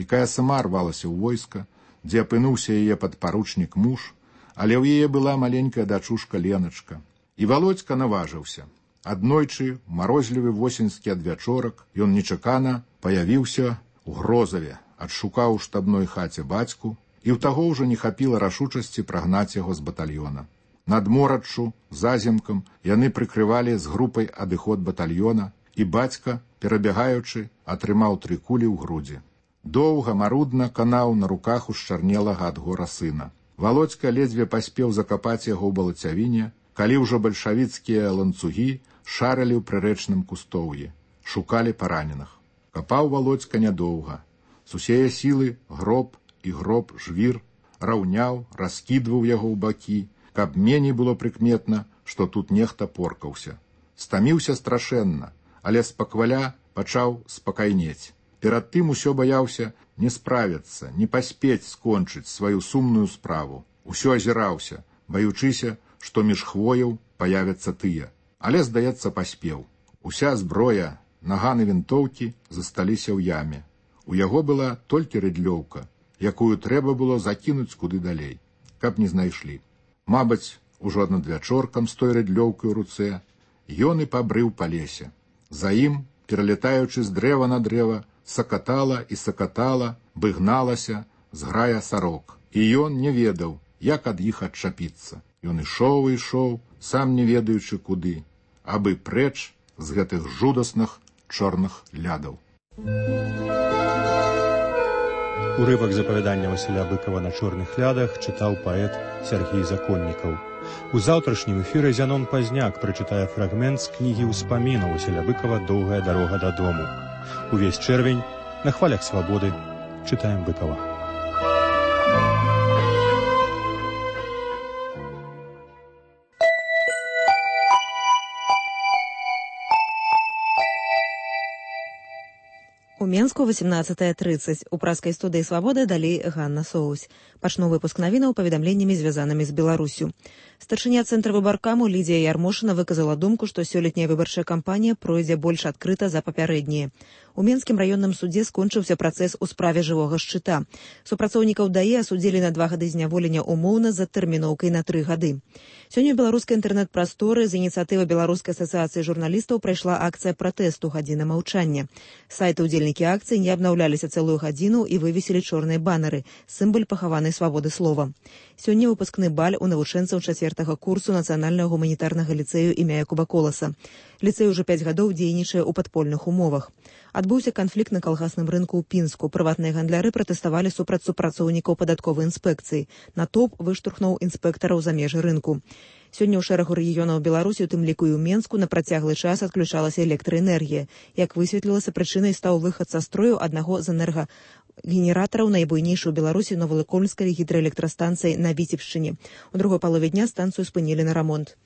якая сама рвалася ў войска, дзе апынуўся яе падпаручнік муж, але ў яе была маленькая дачушка Леначка. І Володька наважыўся. Аднойчы, у марозлівы восеньскі адвячорак, ён нечакана паявіўся ў Грозаве, адшукаў у штабной хаце бацьку, і ў таго ўжо не хапіла рашучасці прагнаць яго з батальёна. Над мораччу, заземкам, яны прыкрывалі з групай адыход батальёна, і бацька, перабягаючы, атрымаў 3 кулі ў грудзі. Доўга, марудна канаў на руках ушчарнелага ад гора сына. Володька ледзьве паспеў закапаць яго ў балацявіне, калі ўжо бальшавіцкія ланцугі шарылі ў прырэчным кустоўі, шукалі параненых. Капаў Володька нядоўга. З усяе сілы гроб і гроб жвір раўняў, раскідваў яго ў бакі, каб меней было прыкметна, што тут нехта поркаўся. Стаміўся страшэнна, але спакваля пачаў спакайнець. Перад тым усё баяўся не справіцца, не паспець скончыць сваю сумную справу. Усё азіраўся, баючыся, што між хвояў паявяцца тыя. Але, здаецца, паспеў. Уся зброя, наганы вінтоўкі засталіся ў яме. У яго была толькі рыдлёўка, якую трэба было закінуць куды далей, каб не знайшлі. Мабыць, ужо надвячоркам з той рыдлёўкай у руцэ ён і пабрыў па лесе. За ім, пералетаючы з дрэва на дрэва, сакатала і сакатала, быгналася зграя сарок. І ён не ведаў, як ад іх адчапіцца. Ён ішоў і ішоў, сам не ведаючы куды, абы прэч з гэтых жудасных чорных лядаў. Урывак з апавядання Васіля Быкова на чорных лядах чытаў паэт Сергій Законнікаў. У заўтрашнім эфіры Зянон Пазняк прачытае фрагмент з кнігі ўспамінаў Васіля Быкова «Доўгая дарога дадому». Увесь чэрвень на хвалях свабоды чытаем Быкова. У Менску 18:30. У праскай студыі «Свабода» далей Ганна Соусь. Пачну выпуск навінаў паведамленнямі, звязанымі з Беларусю. Старшыня цэнтра выбаркаму Лідія Ярмошына выказала думку, што сёлетняя выбарчая кампанія пройдзе больш адкрыта за папярэднія. У Менскім раённым судзе скончыўся працэс у справе жывога шчыта. Супрацоўнікаў ДАІ асудзілі на 2 гады зняволення умоўна з адтэрміноўкай на 3 гады. Сёння ў беларускай інтэрнэт-прасторы з ініцыятывы Беларускай асацыяцыі журналістаў прайшла акцыя пратэсту «Гадзіна маўчання». Сайты ўдзельнікі акцыі не абнаўляліся цэлую гадзіну і вывесілі чорныя банеры, сімвал пахаванай свабоды слова. Сёння выпускны баль у навучэнцаў 4-го курсу Нацыянальнага гуманітарнага ліцэю імя Якуба Коласа. Ліцэй уже 5 гадоў дзейнічае ў падпольных умовах. Адбыўся канфлікт на калгасным рынку ў Пінску. Прыватныя гандляры пратэставалі супраць супрацоўнікаў падатковай інспекцыі. Натоўп выштурхнуў інспектараў за межы рынку. Сёння ў шэрагу рэгіёнаў Беларусі, у тым ліку і ў Менску, на працяглы час адключалася электраэнергія. Як высветлілася, прычынай стаў выхад са строю аднаго з энергагенератараў найбуйнейшай у Беларусі Новалыкольскай гідраэлектрастанцыі на Віцебшчыне. У другой палове дня станцыю спынілі на рамонт.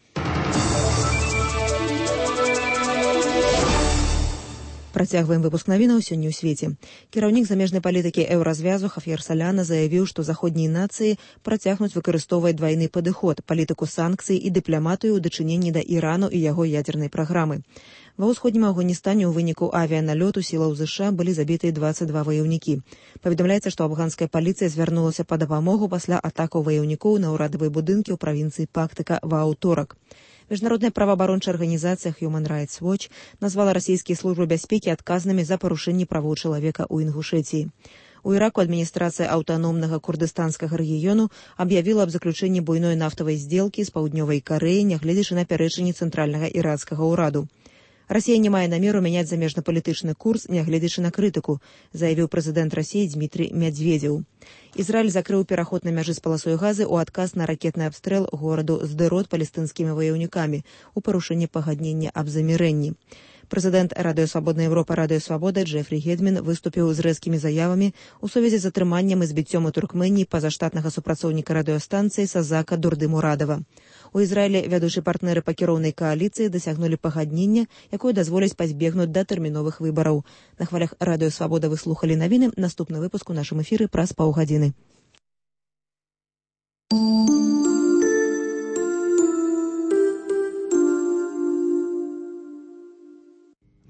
Працягваем выпуск навінаў сёння ў свеце. Кіраўнік замежнай палітыкі еўразвязу Хаф'ер Саляна заявіў, што заходнія нацыі працягнуць выкарыстоўваць двайны падыход, палітыку санкцый і дыпламатыю ў дачыненні да Ірану і яго ядзернай праграмы. Ва ўсходнім Афганістане ў выніку авіяналёту сілаў ЗША былі забітыя 22 ваяўнікі. Паведамляецца, што афганская паліцыя звярнулася па дапамогу пасля атакаў ваяўнікоў на ўрадавыя будынкі ў правінцыі Пактыка ва аўторак. Міжнародная праваабарончая арганізацыя Human Rights Watch назвала расійскія службы бяспекі адказнымі за парушэнні правоў чалавека ў Інгушэтіі. У Іраку адміністрацыя аўтаномнага курдыстанскага рэгіёну аб'явіла аб заключэнні буйной нафтавай здзелкі з паўднёвай Карэі, нягледзячы на пярэчанні цэнтральнага іракскага ўраду. Расія не мае намеру мяняць замежна-палітычны курс, нягледзячы на крытыку, заявіў прэзідэнт Расіі Дмітрый Мядзведзеў. Ізраіль закрыў пераход на мяжы з паласой Газы ў адказ на ракетны абстрэл гораду Сдэрот палестынскімі ваяўнікамі у парушэнні пагаднення аб замірэнні. Прэзідэнт Радыё Свабодная Еўропа Радыё Свабода Джефрі Гедмін выступіў з рэзкімі заявамі ў сувязі з атрыманнем і збіццём у Туркменіі пазаштатнага супрацоўніка радыёстанцыі Сазака Дурдымурадава. У Ізраілі вядучыя партнеры па кіроўнай кааліцыі дасягнулі пагаднення, якое дазволіць пазбегнуць датэрміновых выбараў. На хвалях Радыё Свабода вы слухалі навіны. Наступны выпуск у нашым эфіры праз паўгадзіны.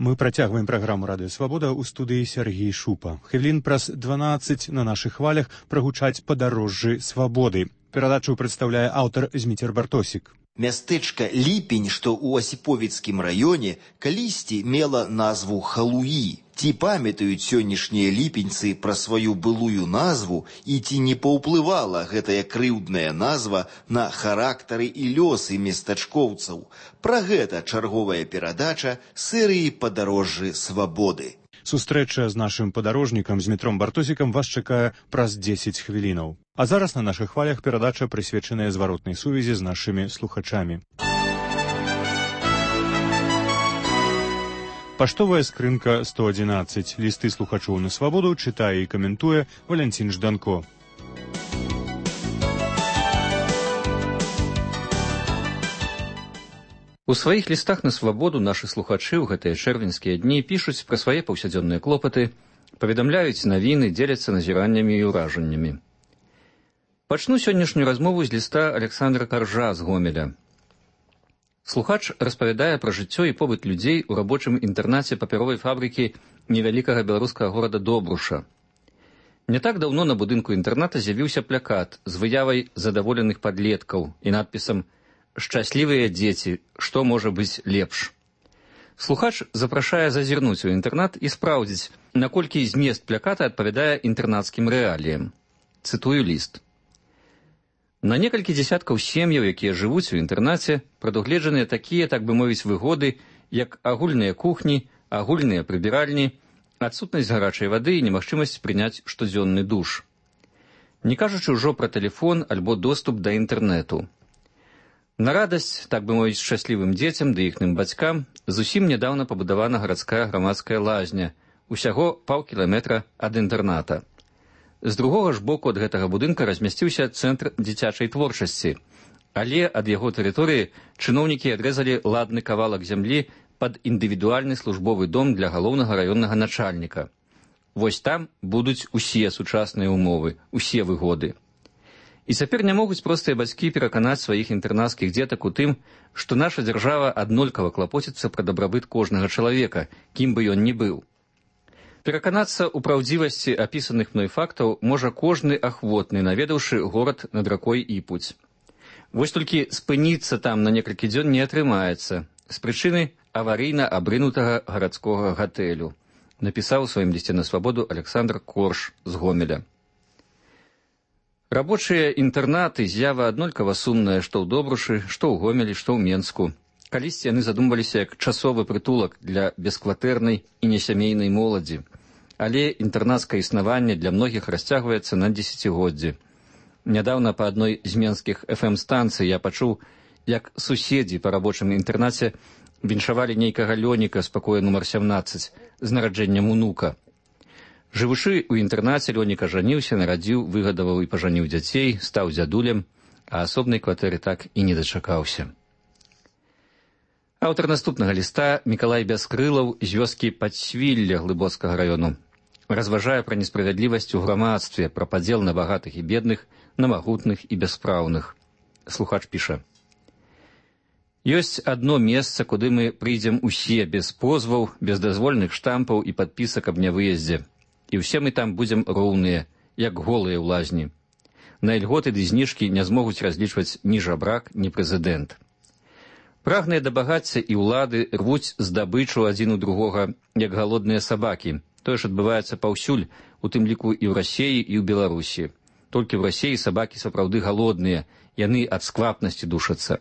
Мы працягваем праграму «Радыё Свабода» ў студыі Сергій Шупа. Хвілін праз 12 на нашых хвалях прагучаць падарожжы свабоды. Перадачу прадстаўляе аўтар Зміцер Бартосік. Мястэчка Ліпень, што ў Асіповіцкім раёне, калісьці мела назву Халуі. Ці памятаюць сённяшнія ліпеньцы пра сваю былую назву і ці не паўплывала гэтая крыўдная назва на характары і лёсы местачкоўцаў? Пра гэта чарговая перадача серыі «Падарожжы свабоды». Сустрэча з нашым падарожнікам Змітром Бартосікам вас чакае праз 10 хвілінаў. А зараз на нашых хвалях перадача прысвечаная зваротнай сувязі з нашымі слухачамі. Паштовая скрынка 111. Лісты слухачоў на свабоду чытае і каментуе Валянцін Жданко. У сваіх лістах на свабоду нашы слухачы ў гэтыя чэрвеньскія дні пішуць пра свае паўсядзённыя клопаты, паведамляюць навіны, дзеляцца назіраннямі і ўражаннямі. Пачну сённяшнюю размову з ліста Александра Каржа з Гомеля. Слухач распавядае пра жыццё і побыт людзей у рабочым інтэрнаце папяровай фабрыкі невялікага беларускага горада Добруша. Не так даўно на будынку інтэрната з'явіўся плакат з выявай задаволеных падлеткаў і надпісам «Шчаслівыя дзеці, што можа быць лепш?». Слухач запрашае зазірнуць у інтэрнат і спраўдзіць, наколькі змест плаката адпавядае інтэрнацкім рэаліям. Цытую ліст. На некалькі дзесяткаў сем'яў, якія жывуць у інтэрнаце, прадугледжаныя такія, так бы мовіць, выгоды, як агульныя кухні, агульныя прыбіральні, адсутнасць гарачай вады і немагчымасць прыняць штодзённы душ. Не кажучы ўжо пра тэлефон альбо доступ да інтэрнэту. На радасць, так бы мовіць, шчаслівым дзецям ды іхным бацькам зусім нядаўна пабудавана гарадская грамадская лазня, усяго паўкіламетра ад інтэрната. З другога ж боку ад гэтага будынка размясціўся цэнтр дзіцячай творчасці, але ад яго тэрыторыі чыноўнікі адрэзалі ладны кавалак зямлі пад індывідуальны службовы дом для галоўнага раённага начальніка. Вось там будуць усе сучасныя умовы, усе выгоды. І цяпер не могуць простыя бацькі пераканаць сваіх інтэрнацкіх дзетак у тым, што наша дзяржава аднолькава клапоціцца пра дабрабыт кожнага чалавека, кім бы ён ні быў. Пераканацца ў праўдзівасці апісаных мной фактаў можа кожны ахвотны, наведаўшы горад над ракой Іпуць. Вось толькі спыніцца там на некалькі дзён не атрымаецца з прычыны аварыйна абрынутага гарадскога гатэлю, напісаў у сваім лісце на свабоду Александр Корж з Гомеля. Рабочыя інтэрнаты з'ява аднолькава сумная што ў Добрушы, што ў Гомелі, што ў Менску. Калісьці яны задумваліся як часовы прытулак для бескватэрнай і несямейнай моладзі. Але інтэрнацкае існаванне для многіх расцягваецца на дзесяцігоддзі. Нядаўна па адной з менскіх FM-станцый я пачуў, як суседзі па рабочым інтэрнаце віншавалі нейкага Лёніка з пакоя нумар 17 з нараджэннем унука. Жывучы ў інтэрнаце, Лёніка жаніўся, нарадзіў, выгадаваў і пажаніў дзяцей, стаў дзядулем, а асобнай кватэры так і не дачакаўся. Аўтар наступнага ліста Мікалай Бяскрылаў з вёскі Падсвілля Глыбоцкага раёну разважае пра несправядлівасць у грамадстве, пра падзел на багатых і бедных, на магутных і бяспраўных. Слухач піша. Ёсць адно месца, куды мы прыйдзем усе без позваў, без дазвольных штампаў і падпісак аб нявыездзе. І ўсе мы там будзем роўныя, як голыя ў лазні. На ільготы ды зніжкі не змогуць разлічваць ні жабрак, ні прэзідэнт. Прагныя да багацця і ўлады рвуць здабычу адзін у другога, як галодныя сабакі. Тое ж адбываецца паўсюль, у тым ліку і ў Расіі, і ў Беларусі. Толькі ў Расіі сабакі сапраўды галодныя, яны ад сквапнасці душацца.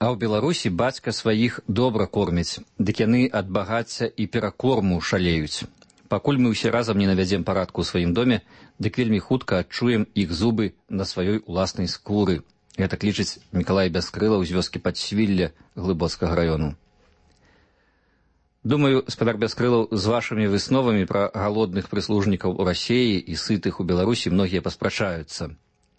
А ў Беларусі бацька сваіх добра корміць, дык яны ад багацця і перакорму шалеюць. Пакуль мы ўсе разам не навядзем парадку ў сваім доме, дык вельмі хутка адчуем іх зубы на сваёй уласнай скуры. Гэта лічыць Мікалай Бяскрылаў з вёскі Падсвілля Глыбоцкага раёну. Думаю, спадар Бяскрылаў, з вашымі высновамі пра галодных прыслужнікаў у Расіі і сытых у Беларусі многія паспрачаюцца.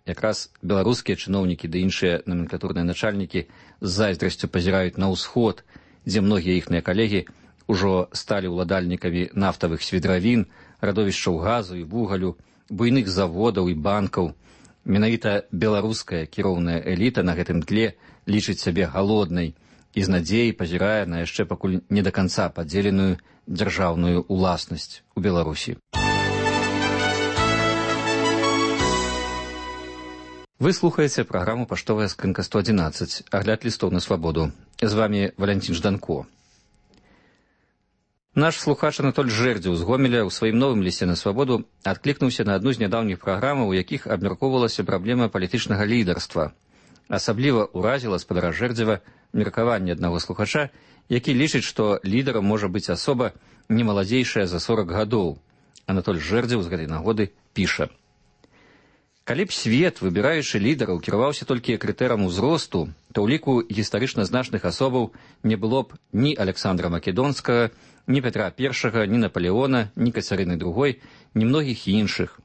Якраз беларускія чыноўнікі ды іншыя номенклатурныя начальнікі з зайздрасцю пазіраюць на ўсход, дзе многія іхныя калегі ўжо сталі ўладальнікамі нафтавых свідравін, радовішчаў газу і вугалю, буйных заводаў і банкаў. Менавіта беларуская кіроўная эліта на гэтым тле лічыць сябе галоднай і з надзеяй пазірае на яшчэ пакуль не да канца падзеленую дзяржаўную уласнасць у Беларусі. Вы слухаеце праграму «Паштовая скрынка 111», агляд лістоў на свабоду. З вамі Валянцін Жданко. Наш слухач Анатоль Жэрдзеў з Гомеля ў сваім новым лісце на свабоду адклікнуўся на адну з нядаўніх праграмаў, у якіх абмяркоўвалася праблема палітычнага лідарства. Асабліва ўразіла спадара Жэрдзева меркаванне аднаго слухача, які лічыць, што лідарам можа быць асоба не маладзейшая за 40 гадоў. Анатоль Жэрдзеў з гэтай нагоды піша. Калі б свет, выбіраючы лідараў, кіраваўся толькі крытэрам узросту, то ў ліку гістарычна значных асобаў не было б ні Александра Македонскага, ні Петра I, ні Наполеона, ні Кацярыны II, ні многіх іншых.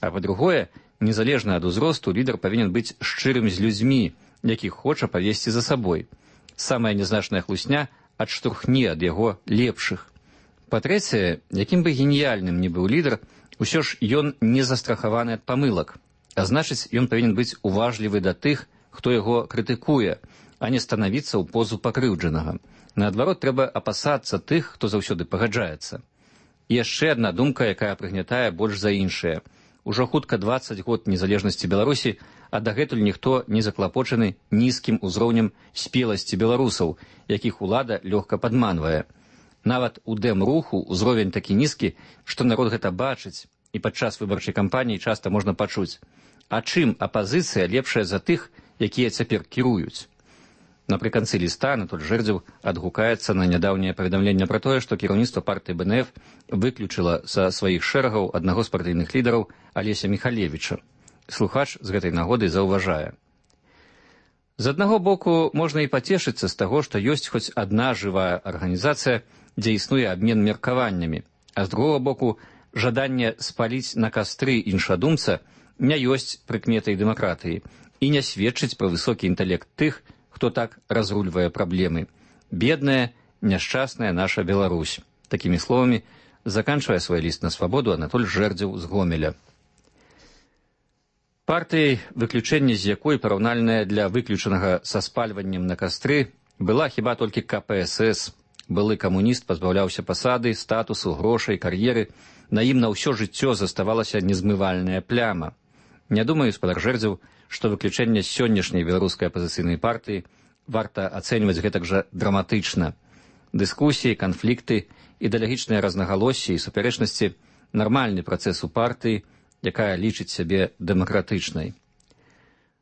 А па-другое, незалежна ад узросту, лідар павінен быць шчырым з людзьмі, якіх хоча павесці за сабой. Самая нязначная хлусня адштурхне ад яго лепшых. Па-трэцяе, якім бы геніяльным ні быў лідар, усё ж ён не застрахаваны ад памылак. А значыць, ён павінен быць уважлівы да тых, хто яго крытыкуе, а не станавіцца ў позу пакрыўджанага. Наадварот, трэба апасацца тых, хто заўсёды пагаджаецца. І яшчэ адна думка, якая прыгнятае больш за іншае. Ужо хутка 20 год незалежнасці Беларусі, а дагэтуль ніхто не заклапочаны нізкім узроўнем спеласці беларусаў, якіх улада лёгка падманвае. Нават у дэм-руху ўзровень такі нізкі, што народ гэта бачыць, і падчас выбарчай кампаніі часта можна пачуць: а чым апазіцыя лепшая за тых, якія цяпер кіруюць? Напрыканцы ліста Анатоль Жэрдзеў адгукаецца на нядаўняе паведамленне пра тое, што кіраўніцтва партыі БНФ выключыла са сваіх шэрагаў аднаго з партыйных лідараў Алеся Міхалевіча. Слухач з гэтай нагоды заўважае: з аднаго боку, можна і пацешыцца з таго, што ёсць хоць адна жывая арганізацыя, дзе існуе абмен меркаваннямі, а з другога боку, жаданне спаліць на кастры іншадумца не ёсць прыкметай дэмакратыі і не сведчыць пра высокі інтэлект тых, хто так разрульвае праблемы. Бедная, няшчасная наша Беларусь. Такімі словамі заканчвае свой ліст на свабоду Анатоль Жэрдзеў з Гомеля. Партыяй, выключэнне з якой параўнальная для выключанага са спальваннем на кастры, была хіба толькі КПСС. Былы камуніст пазбаўляўся пасады, статусу, грошай, кар'еры. На ім на ўсё жыццё заставалася незмывальная пляма. Не думаю, гаспадар Жэрдзеў, што выключэнне сённяшняй беларускай апазіцыйнай партыі варта ацэньваць гэтак жа драматычна. Дыскусіі, канфлікты, ідэалагічныя разнагалоссі і супярэчнасці – нармальны працэс у партыі, якая лічыць сябе дэмакратычнай.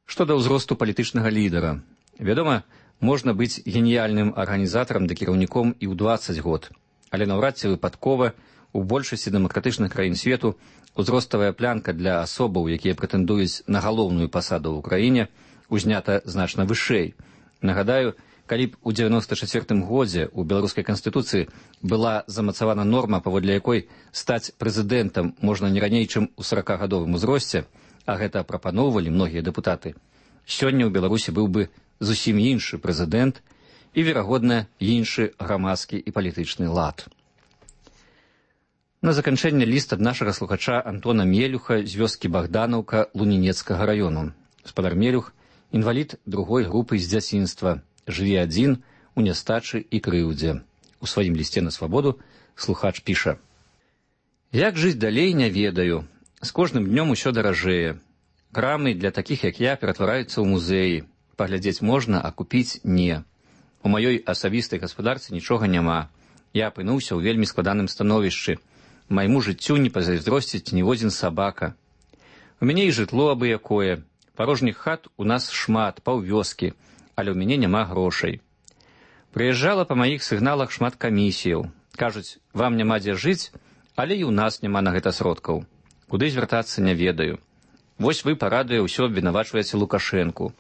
Што да ўзросту палітычнага лідара. Вядома, можна быць геніяльным арганізатарам ды кіраўніком і ў 20 год, але наўрад ці выпадкова у большасці дэмакратычных краін свету узроставая планка для асобаў, якія прэтэндуюць на галоўную пасаду ў краіне, узнята значна вышэй. Нагадаю, калі б у 94 годзе ў беларускай канстытуцыі была замацавана норма, паводле якой стаць прэзідэнтам можна не раней, чым у 40гадовым узросце, а гэта прапаноўвалі многія дэпутаты, сёння ў Беларусі быў бы зусім іншы прэзідэнт і, верагодна, іншы грамадскі і палітычны лад. На заканчэнне ліст ад нашага слухача Антона Мелюха з вёскі Богданаўка Лунінецкага раёну. Гаспадар Мелюх – інвалід другой групы з дзяцінства, жыве адзін у нястачы і крыўдзе. У сваім лісце на свабоду слухач піша: «Як жыць далей, не ведаю. З кожным днём усё даражэе. Крамы для такіх, як я, ператвараюцца ў музеі. Паглядзець можна, а купіць не. У маёй асабістай гаспадарцы нічога няма. Я апынуўся ў вельмі складаным становішчы. Майму жыццю не пазайздросціць ніводзін сабака. У мяне і жытло абы-якое. Парожніх хат у нас шмат, паўвёскі, але ў мяне няма грошай. Прыязджала па маіх сігналах шмат камісіяў. Кажуць, вам няма дзе жыць, але і ў нас няма на гэта сродкаў. Куды звяртацца, не ведаю. Вось вы парадуе ўсё абвінавачваеце Лукашэнку.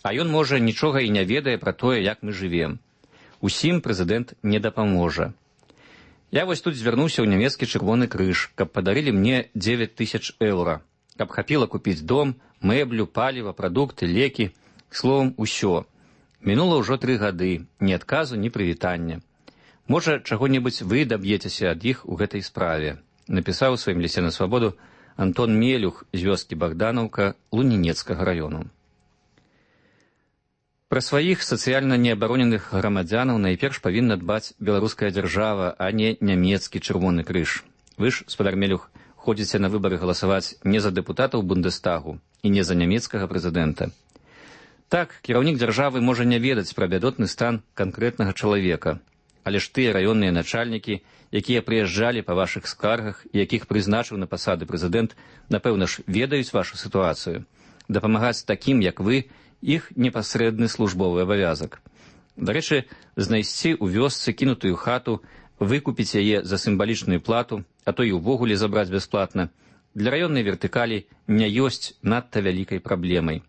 А ён, можа, нічога і не ведае пра тое, як мы жывем. Усім прэзідэнт не дапаможа. Я вось тут звярнуўся ў нямецкі чырвоны крыж, каб падарылі мне 9000 еўра, каб хапіла купіць дом, мэблю, паліва, прадукты, лекі, словам, усё. Мінула ўжо 3 гады, ні адказу, ні прывітання. Можа, чаго-небудзь вы даб'ецеся ад іх у гэтай справе. Напісаў у сваім лісце на свабоду Антон Мелюх з вёскі Богданаўка Лунінецкага раёну. Пра сваіх сацыяльна неабароненых грамадзянаў найперш павінна дбаць беларуская дзяржава, а не нямецкі чырвоны крыж. Вы ж, гаспадар Мелюх, ходзіце на выбары галасаваць не за дэпутатаў Бундестагу і не за нямецкага прэзідэнта. Так, кіраўнік дзяржавы можа не ведаць пра бядотны стан канкрэтнага чалавека, але ж тыя раённыя начальнікі, якія прыязджалі па вашых скаргах і якіх прызначыў на пасады прэзідэнт, напэўна ж, ведаюць вашу сітуацыю. Дапамагаць такім, як вы, іх непасрэдны службовы абавязак. Дарэчы, знайсці ў вёсцы кінутую хату, выкупіць яе за сімвалічную плату, а то і ўвогуле забраць бясплатна, для раённай вертыкалі не ёсць надта вялікай праблемай.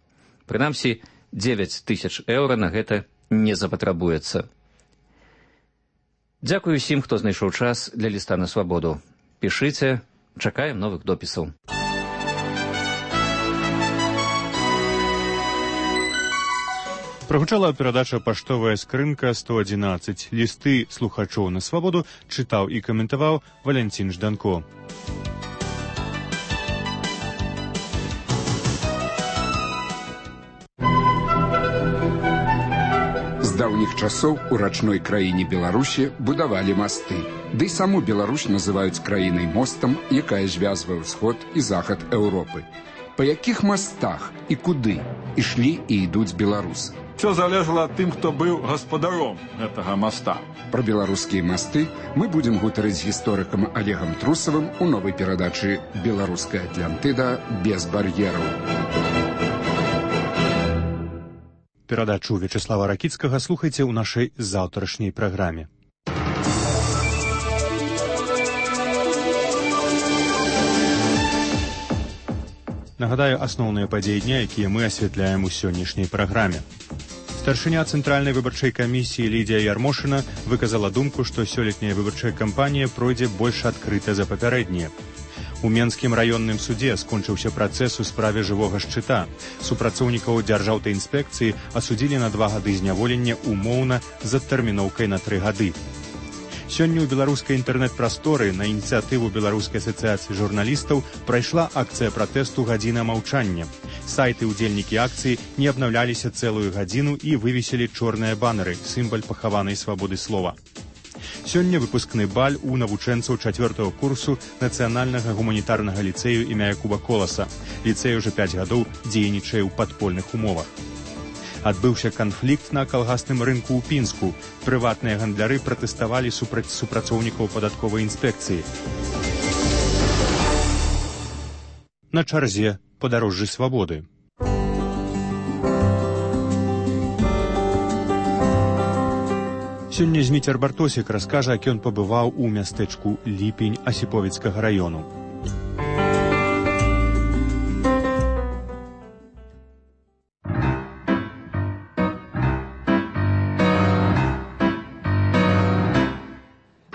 Прынамсі, 9000 еўра на гэта не запатрабуецца. Дзякую усім, хто знайшоў час для ліста на свабоду. Пішыце, чакаем новых допісаў. Прагучала перадача «Паштовая скрынка 111». Лісты слухачоў на свабоду чытаў і каментаваў Валянцін Жданко. даўніх часоў у рачной краіне Беларусі будавалі масты. Ды і саму Беларусь называюць краінай мостам, якая звязвае ўсход і захад Еўропы. Па якіх мастах і куды ішлі і ідуць беларусы? Все залежало ад тым, хто быў гаспадаром гэтага моста. Пра беларускія масты мы будзем гутарыць з гісторыкам Олегам Трусавым у новай перадачы «Беларуская Атлантыда без бар'ераў». Перадачу Вячеслава Ракіцкага слухайце ў нашай заўтрашняй праграме. Нагадаю, асноўныя падзеі дня, якія мы асвятляем у сённяшняй праграме. Старшыня Цэнтральнай выбарчай камісіі Лідія Ярмошына выказала думку, што сёлетняя выбарчая кампанія пройдзе больш адкрыта за папярэднія. У Менскім раённым судзе скончыўся працэс у справе жывога шчыта. Супрацоўнікаў дзяржаўтаінспекцыі асудзілі на 2 гады зняволення умоўна з адтэрміноўкай на 3 гады. Сёння ў беларускай інтэрнэт-прасторы на ініцыятыву Беларускай асацыяцыі журналістаў прайшла акцыя пратэсту «Гадзіна маўчання». Сайты ўдзельнікі акцыі не абнаўляліся цэлую гадзіну і вывесілі чорныя банеры, сімвал пахаванай свабоды слова. Сёння выпускны баль у навучэнцаў 4-го курсу Нацыянальнага гуманітарнага ліцэю імя Якуба Коласа. Ліцэй уже 5 гадоў дзейнічае ў падпольных умовах. Адбыўся канфлікт на калгасным рынку ў Пінску. Прыватныя гандляры пратэставалі супраць супрацоўнікаў падатковай інспекцыі. На чарзе падарожжы свабоды. Сёння Зміцер Бартосік раскажа, як ён пабываў у мястэчку Ліпень Асіповіцкага раёну.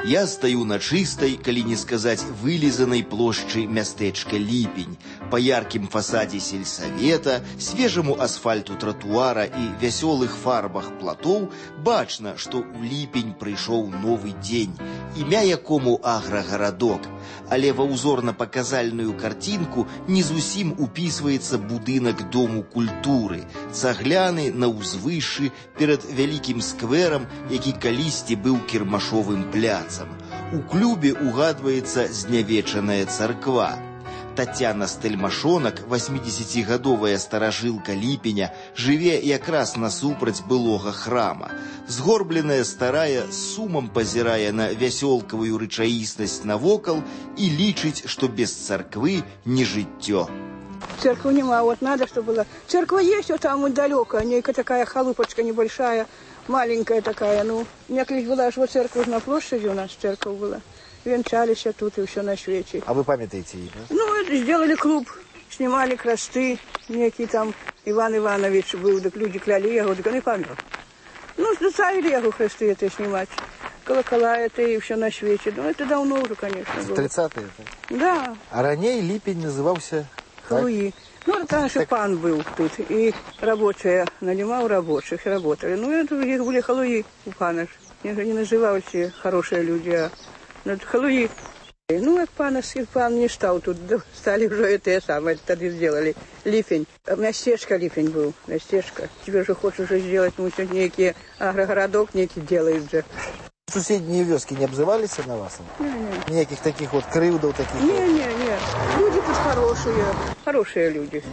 Я стаю на чыстай, калі не сказаць вылізанай плошчы мястэчка Ліпень. Па яркім фасадзе сельсавета, свежаму асфальту тратуара і вясёлых фарбах платоў бачна, што ў Ліпень прыйшоў новы дзень, імя якому аграгарадок. Але ва ўзорна-паказальную карцінку не зусім упісваецца будынак Дому культуры, цагляны на ўзвышшы перад вялікім скверам, які калісьці быў кірмашовым пляцам. У клубе угадваецца знявечаная царква. Тацяна Стэльмашонак, 80-гадовая старажылка Ліпеня, жыве якраз насупраць былога храма. Згорбленая старая з сумам пазірае на вясёлкавую рэчаіснасць навокал і лічыць, што без царквы не жыццё. Церквы нема, вот надо, чтобы была. Церковь есть вот там вот далеко, некая такая халупочка небольшая, маленькая такая, ну. У меня колись была аж вот церковь на площади, у нас церковь была. Венчались тут и все на свете. А вы памятаете их, да? Ну, это сделали клуб, снимали кресты, некий там Иван Иванович был, так люди кляли его, так он и помер. Ну, заставили его кресты это снимать, колокола это и все на свете. Ну, это давно уже, конечно, было. 30-е это? Да. А ранее Липень назывался... Халуи. Ну, это наш пан был тут, и рабочие, нанимал рабочих, работали. Ну, это их были халуи у пана. Их не называли хорошие люди, а халуи. Ну, как пан не стал тут, стали уже это самое, тогда сделали. Липень. Местечко Липень был, местечко. Тебе же хочешь уже сделать, ну, некий агрогородок некий делает же. Соседние вёски не обзывались на вас? Не. Никаких таких вот крылдов таких? Не. Люди тут хорошие люди.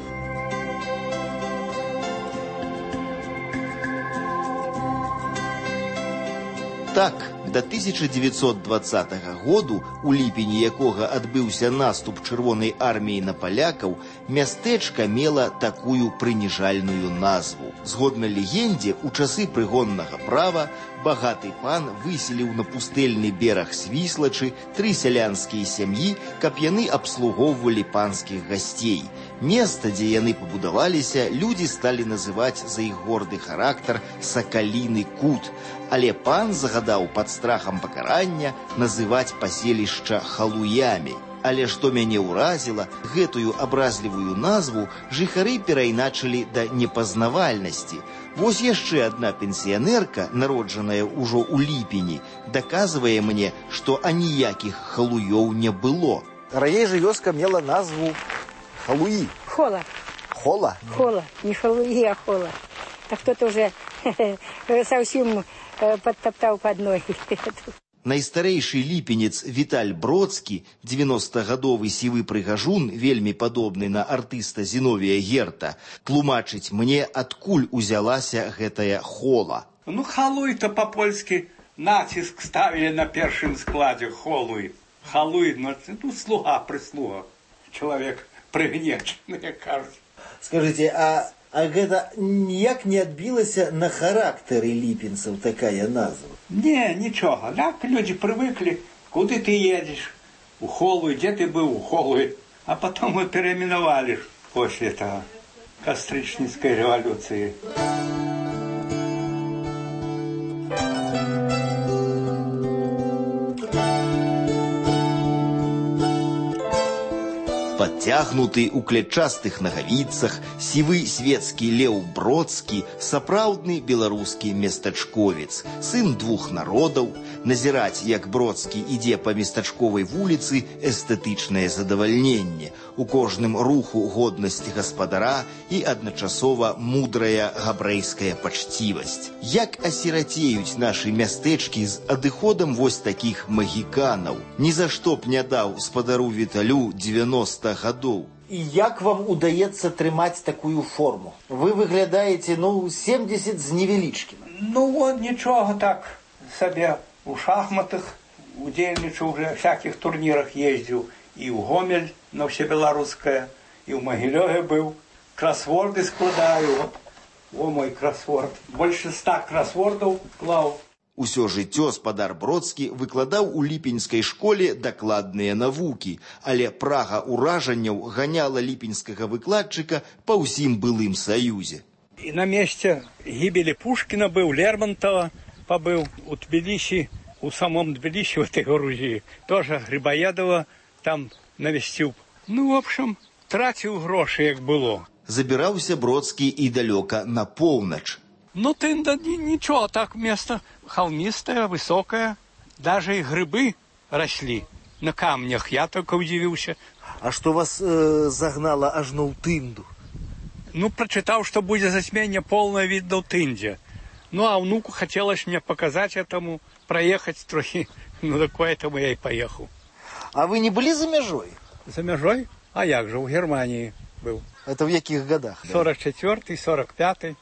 Так, до 1920 году, у ліпені якога адбыўся наступ чырвонай арміі на палякаў, мястэчка мела такую прыніжальную назву. Згодна легендзе, у часы прыгоннага права багаты пан выселіў на пустэльны бераг Свіслачы 3 сялянскія сям'і, каб яны абслугоўвалі панскіх гасцей. Место, дзе яны пабудаваліся, людзі сталі называць за іх горды характар Сакаліны кут, але пан загадаў пад страхам пакарання называць паселішча халуямі. Але што мяне ўразіла, гэтую абразлівую назву жыхары перайначылі да непазнавальнасці. Вось яшчэ адна пенсіянерка, народжаная ўжо ў ліпені, даказвае мне, што аніякіх халуёў не было. Раней жа вёска мела назву Халуи. Хола. Хола? Хола. Не халуи, а хола. а кто-то уже совсем подтоптал под ноги. Найстарэйшы ліпенец Віталь Бродскі, 90-гадовы сівы прыгажун, вельмі падобны на артыста Зіновія Герта, тлумачыць мне, адкуль узялася гэтая хола. Ну, халуй-то по-польски натиск ставили на першым складе холуй. Халуй, ну, слуга-прислуга. Человек прыгнечный, кажется. Скажите, а гэта ніяк не адбілася на характары ліпенцаў такая назва? Не, ничего. Так люди привыкли, куда ты едешь, у Холуй, где ты был, у Холуй. А потом мы переименовали после этого Костричницкой революции. Подтягнуты у клетчастых нагавіцах, сівы свецкі Леў Бродскі, сапраўдны беларускі местачковец, сын двух народаў. Назіраць, як Бродскі ідзе па местачковай вуліцы, эстэтычнае задавальненне. У кожным руху годнасць гаспадара і адначасова мудрая габрэйская пачцівасць. Як асірацеюць нашы мястэчкі з адыходам вось такіх магіканаў. Ні за што б не даў спадару Віталю 90 гадоў. І як вам удаецца трымаць такую форму? Вы выглядаеце, 70 з невялічкім. Вот нічога так сабе. У шахматах удзельнічаў уже, всяких турнірах ездзіў. І ў Гомель на ўсебеларускае, і ў Магілёве быў. Красворды складаю. О, мой красворд. Больше 100 красвордаў клаў. Усё жыццё спадар Бродскі выкладаў у ліпеньскай школе дакладныя навукі, але прага ўражанняў ганяла ліпеньскага выкладчыка па ўсім былым саюзе. І на месте гибели Пушкина был, Лермонтова побыл, у Тбилиси, у самом Тбилиси, в этой Грузии, тоже Грибоедова там навестил. В общем, тратил гроши, як было. Забіраўся Бродскі і далёка на поўнач. Ничего, так место холмистое, высокое, даже и грибы росли на камнях, я только удивился. А что вас загнало аж на Тынду? Прочитал, что будет затмение полное видно в Тынде. А внуку хотелось мне показать этому, проехать трохи. Поэтому я и поехал. А вы не были за межой? За межой? А як же, в Германии был. Это в каких годах? 44-й, 45-й.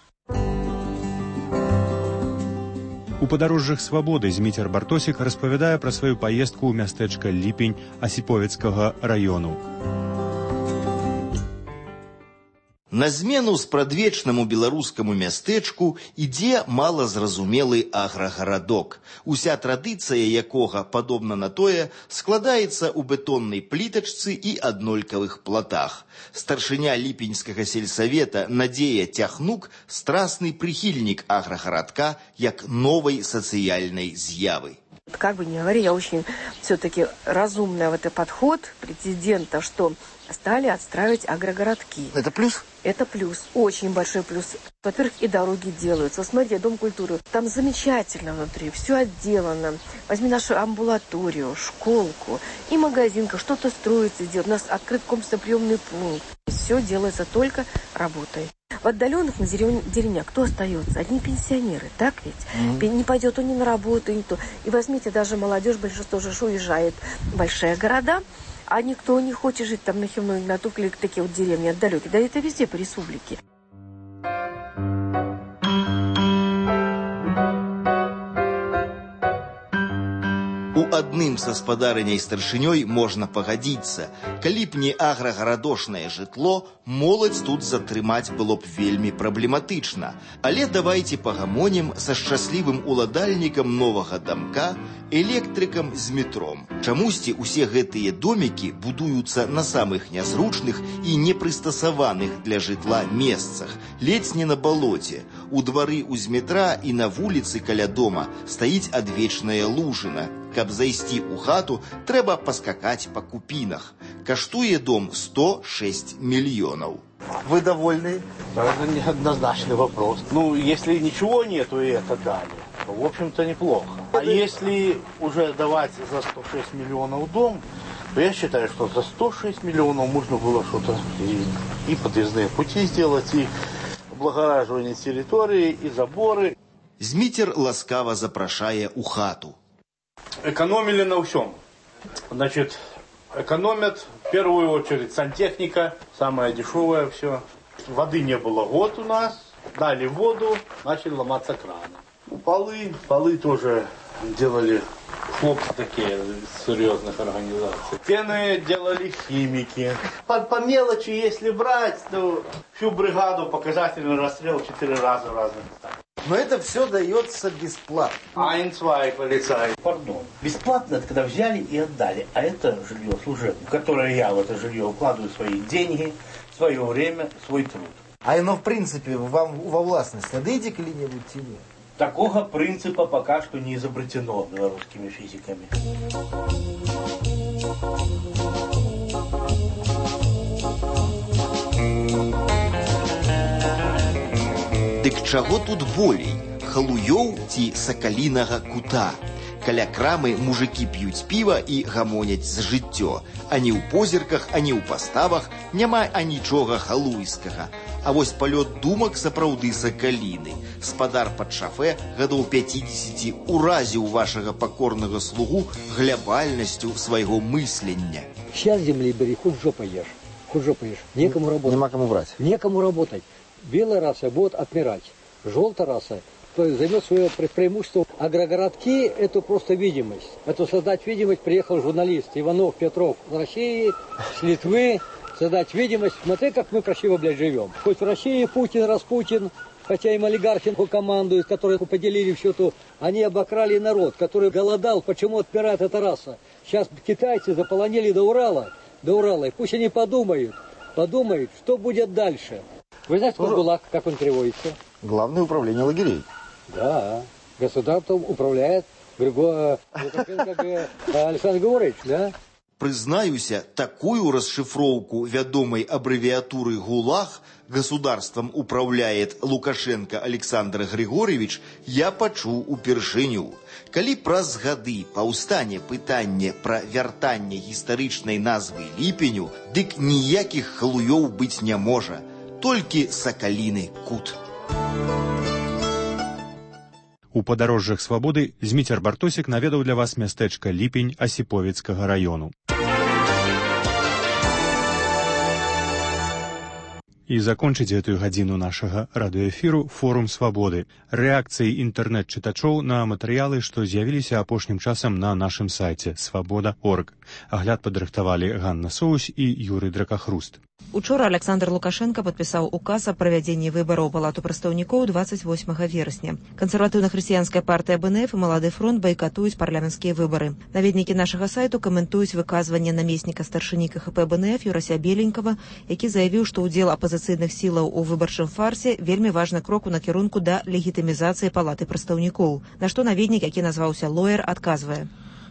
У падарожжах свабоды Зміцер Бартосік распавядае пра сваю паездку ў мястэчка Ліпень Асіповецкага раёну. На змену спрадвечнаму беларускаму мястэчку ідзе малазразумелы аграгарадок, уся традыцыя якога, падобна на тое, складаецца ў бетоннай плітачцы і аднолькавых платах. Старшыня ліпеньскага сельсавета Надзея Тяхнук – страстный прихильник аграгарадка як новой социальной з'явы. Как бы ни говори, я очень все-таки разумный в этот подход президента, что стали отстраивать агрогородки. Это плюс? Это плюс, очень большой плюс. Во-первых, и дороги делаются. Смотри, Дом культуры, там замечательно внутри, все отделано. Возьми нашу амбулаторию, школку и магазинка, что-то строится, делают. У нас открыт комплексно-приемный пункт. Все делается только работой. В отдаленных на деревнях кто остается? Одни пенсионеры, так ведь? Не пойдет он ни на работу, ни то. И возьмите, даже молодежь, большинство же уезжает в большие города, а никто не хочет жить там на Хивной, на Тукле, такие вот деревни отдалекие. Да это везде по республике. У адным са спадарыняй старшынёй можна пагадзіцца. Калі б не аграгарадошнае жытло, моладзь тут затрымаць было б вельмі праблематычна. Але давайце пагамонім са шчаслівым уладальнікам новага дамка, электрыкам з метром. Чамусьці усе гэтыя домікі будуюцца на самых нязручных і непрыстасаваных для жытла месцах, ледзь не на балоце. У двары з метра і на вуліцы каля дома стаіць адвечная лужына. Каб зайсці ў хату, трэба паскакаць па купінах. Каштуе дом 106 миллионов. Вы довольны? Это неоднозначный вопрос. Если ничего нету и это дали, то, в общем-то, неплохо. А если уже давать за 106 миллионов дом, то я считаю, что за 106 миллионов можно было что-то и подъездные пути сделать, и облагораживание территории и заборы. Змитер ласкаво запрашае у хату. Экономили на всем. Значит, экономят в первую очередь сантехника, самое дешевое все. Воды не было год у нас, дали воду, начали ломаться краны. Полы тоже делали хлопцы такие из серьезных организаций. Стены делали химики. По мелочи, если брать, то всю бригаду показательный расстрел 4 раза в разных местах. Но это все дается бесплатно. Ein-zwei, полицай. Пардон. Бесплатно это когда взяли и отдали. А это жилье служебное, в которое я в это жилье укладываю свои деньги, свое время, свой труд. А оно, в принципе, вам во властность отдайте коли-нибудь тебе? Такого принципа пока что не изобретено белорусскими физиками. Дык чаго тут болей? Халуёў ці сакалінага кута? Каля крамы мужики п'юць піва і гамоняць за жыццё. Ані ў позірках, ані ў паставах няма анічога халуйскага. А вось палёт думак сапраўды сакаліны. Спадар пад шафе гадоў 50 уразіў вашага пакорнага слугу глябальнасцю свайго мыслення. Сейчас земли бери, хоть жопа ешь. Хоть жопа ешь. Некому работать. Нема кому брать. Некому работать. Белая раса будет отмирать. Желтая раса займет свое преимущество. Агрогородки – это просто видимость. Это создать видимость. Приехал журналист Иванов, Петров с России, с Литвы. Создать видимость. Смотри, как мы красиво, блядь, живем. Хоть в России Путин, Распутин, хотя им олигархи командуют, которые поделили все то, они обокрали народ, который голодал. Почему отмирает эта раса? Сейчас китайцы заполонили до Урала. И пусть они подумают, что будет дальше. Вы знаете, что ГУЛАГ, как он переводится? Главное управление лагерей. Да, государством управляет Александр Григорьевич, да? Прызнаюся, такую расшифроўку вядомай аббрэвіятуры ГУЛАГ «Государством управляет Лукашенко Александр Григорьевич» я пачуў упершыню. Калі праз гады паўстане пытанне пра вяртанне гістарычнай назвы ліпеню, дык ніякіх халуёў быць не можа, толькі сакаліны кут. У падарожжах свабоды Зміцер Бартосік наведаў для вас мястэчка Ліпень Асіповіцкага раёну. І закончыць гэтую гадзіну нашага радыёэфіру форум свабоды. Рэакцыі інтэрнэт-чытачоў на матэрыялы, што з'явіліся апошнім часам на нашым сайце свабода.орг. Агляд падрыхтавалі Ганна Соусь і Юрый Дракахруст. Учора Александр Лукашенко падпісаў указ о правядзенні выбараў у палату прадстаўнікоў 28 верасня. Кансерватыўна-хрысціянская партыя БНФ і Малады фронт байкатуюць парламенцкія выбары. Наведнікі нашага сайту каментуюць выказванне намесніка старшыні КХП БНФ Юрася Беленькага, які заявіў, што ўдзел апазіцыйных сілаў у выбарчым фарсе вельмі важны крок у накірунку да легітымізацыі палаты прадстаўнікоў. На што наведнік, які назваўся Лоер, адказвае: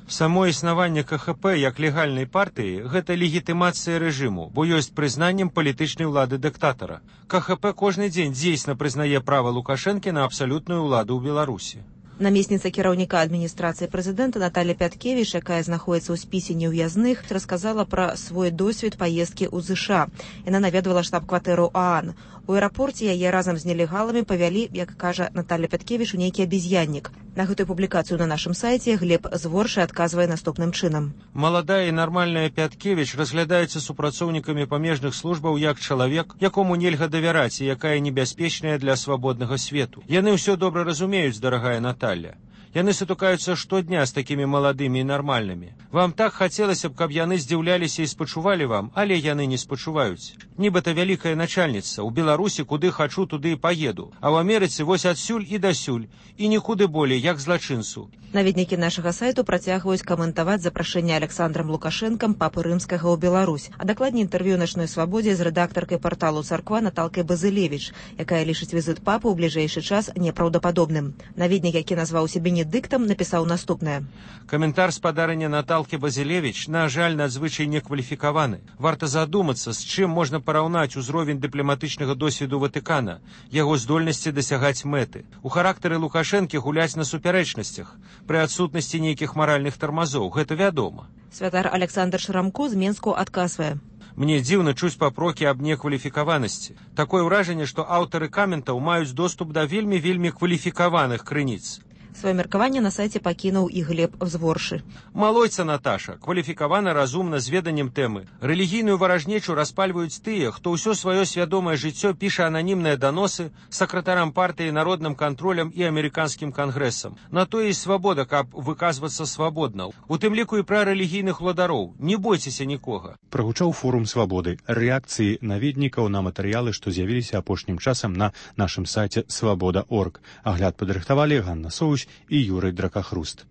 Само існаванне КХП як легальнай партыі – гэта легітымацыя рэжыму, бо ёсць прызнаннем палітычнай улады дыктатара. КХП кожны дзень дзейсна прызнае права Лукашэнкі на абсалютную ўладу ў Беларусі. Намесніца кіраўніка адміністрацыі прэзідэнта Наталья Пяткевіч, якая знаходзіцца ў спісе неўязных, расказала пра свой досвед паездкі ў ЗША. Яна наведвала штаб-кватэру ААН. У аэрапорце яе разам з нелегаламі павялі, як кажа Наталья Пяткевіч, у нейкі абезьяннік. На гэтую публікацыю на нашым сайце Глеб Зворшы адказвае наступным чынам. Маладая і нармальная Пяткевіч разглядаецца супрацоўнікамі памежных службаў як чалавек, якому нельга давяраць і якая небяспечная для свабоднага свету. Яны ўсё добра разумеюць, дарагая Наталья. Яны сутыкаюцца штодня з такімі маладымі і нармальнымі. Вам так хацелася б, каб яны здзіўляліся і спачувалі вам, але яны не спачуваюць. Нібыта вялікая начальніца, у Беларусі куды хачу, туды і паеду, а ў Амерыцы вось адсюль і дасюль, і нікуды болей, як злачынцу. Наведнікі нашага сайту працягваюць каментаваць запрашэнне Александрам Лукашэнкам папы рымскага ў Беларусь, а дакладней інтэрв'ю «Начной свабодзе» з рэдактаркай парталу «Царква» Наталкай Базылевіч, якая лічыць візіт папы ў бліжэйшы час непраўдападобным. Наведнік, які назваў сябе недыктам, напісаў наступнае. Каментар спадарыня Наталкі Базілевіч, на жаль, надзвычай некваліфікаваны. Варта задумацца, з чым можна параўнаць узровень дыпламатычнага досведу Ватыкана, яго здольнасці дасягаць мэты. У характары Лукашэнкі гуляць на супярэчнасцях, пры адсутнасці нейкіх маральных тармазоў, гэта вядома. Святар Александр Шрамко з Менску адказвае. Мне дзіўна чуць папрокі аб некваліфікаванасці. Такое ўражанне, што аўтары каментаў маюць доступ да вельмі кваліфікаваных крыніц. Свое меркаванне на сайце пакінуў і Глеб Взворшы. Малойца Наташа, кваліфікавана разумна з веданнем тэмы. Рэлігійную варажнечу распальваюць тыя, хто ўсё сваё свядомае жыццё піша ананімныя даносы сакратарам партыі, народным кантролем і амерыканскім кангрэсам. На тое і свабода, каб выказвацца свабодна. У тым ліку і пра рэлігійных владароў. Не бойцеся нікога. Прагучаў форум свабоды, рэакцыі наведнікаў на матэрыялы, што з'явіліся апошнім часам на нашым сайце свабода.орг. Агляд падрыхтавалі Ганна Соусь і Юрый Дракахруст.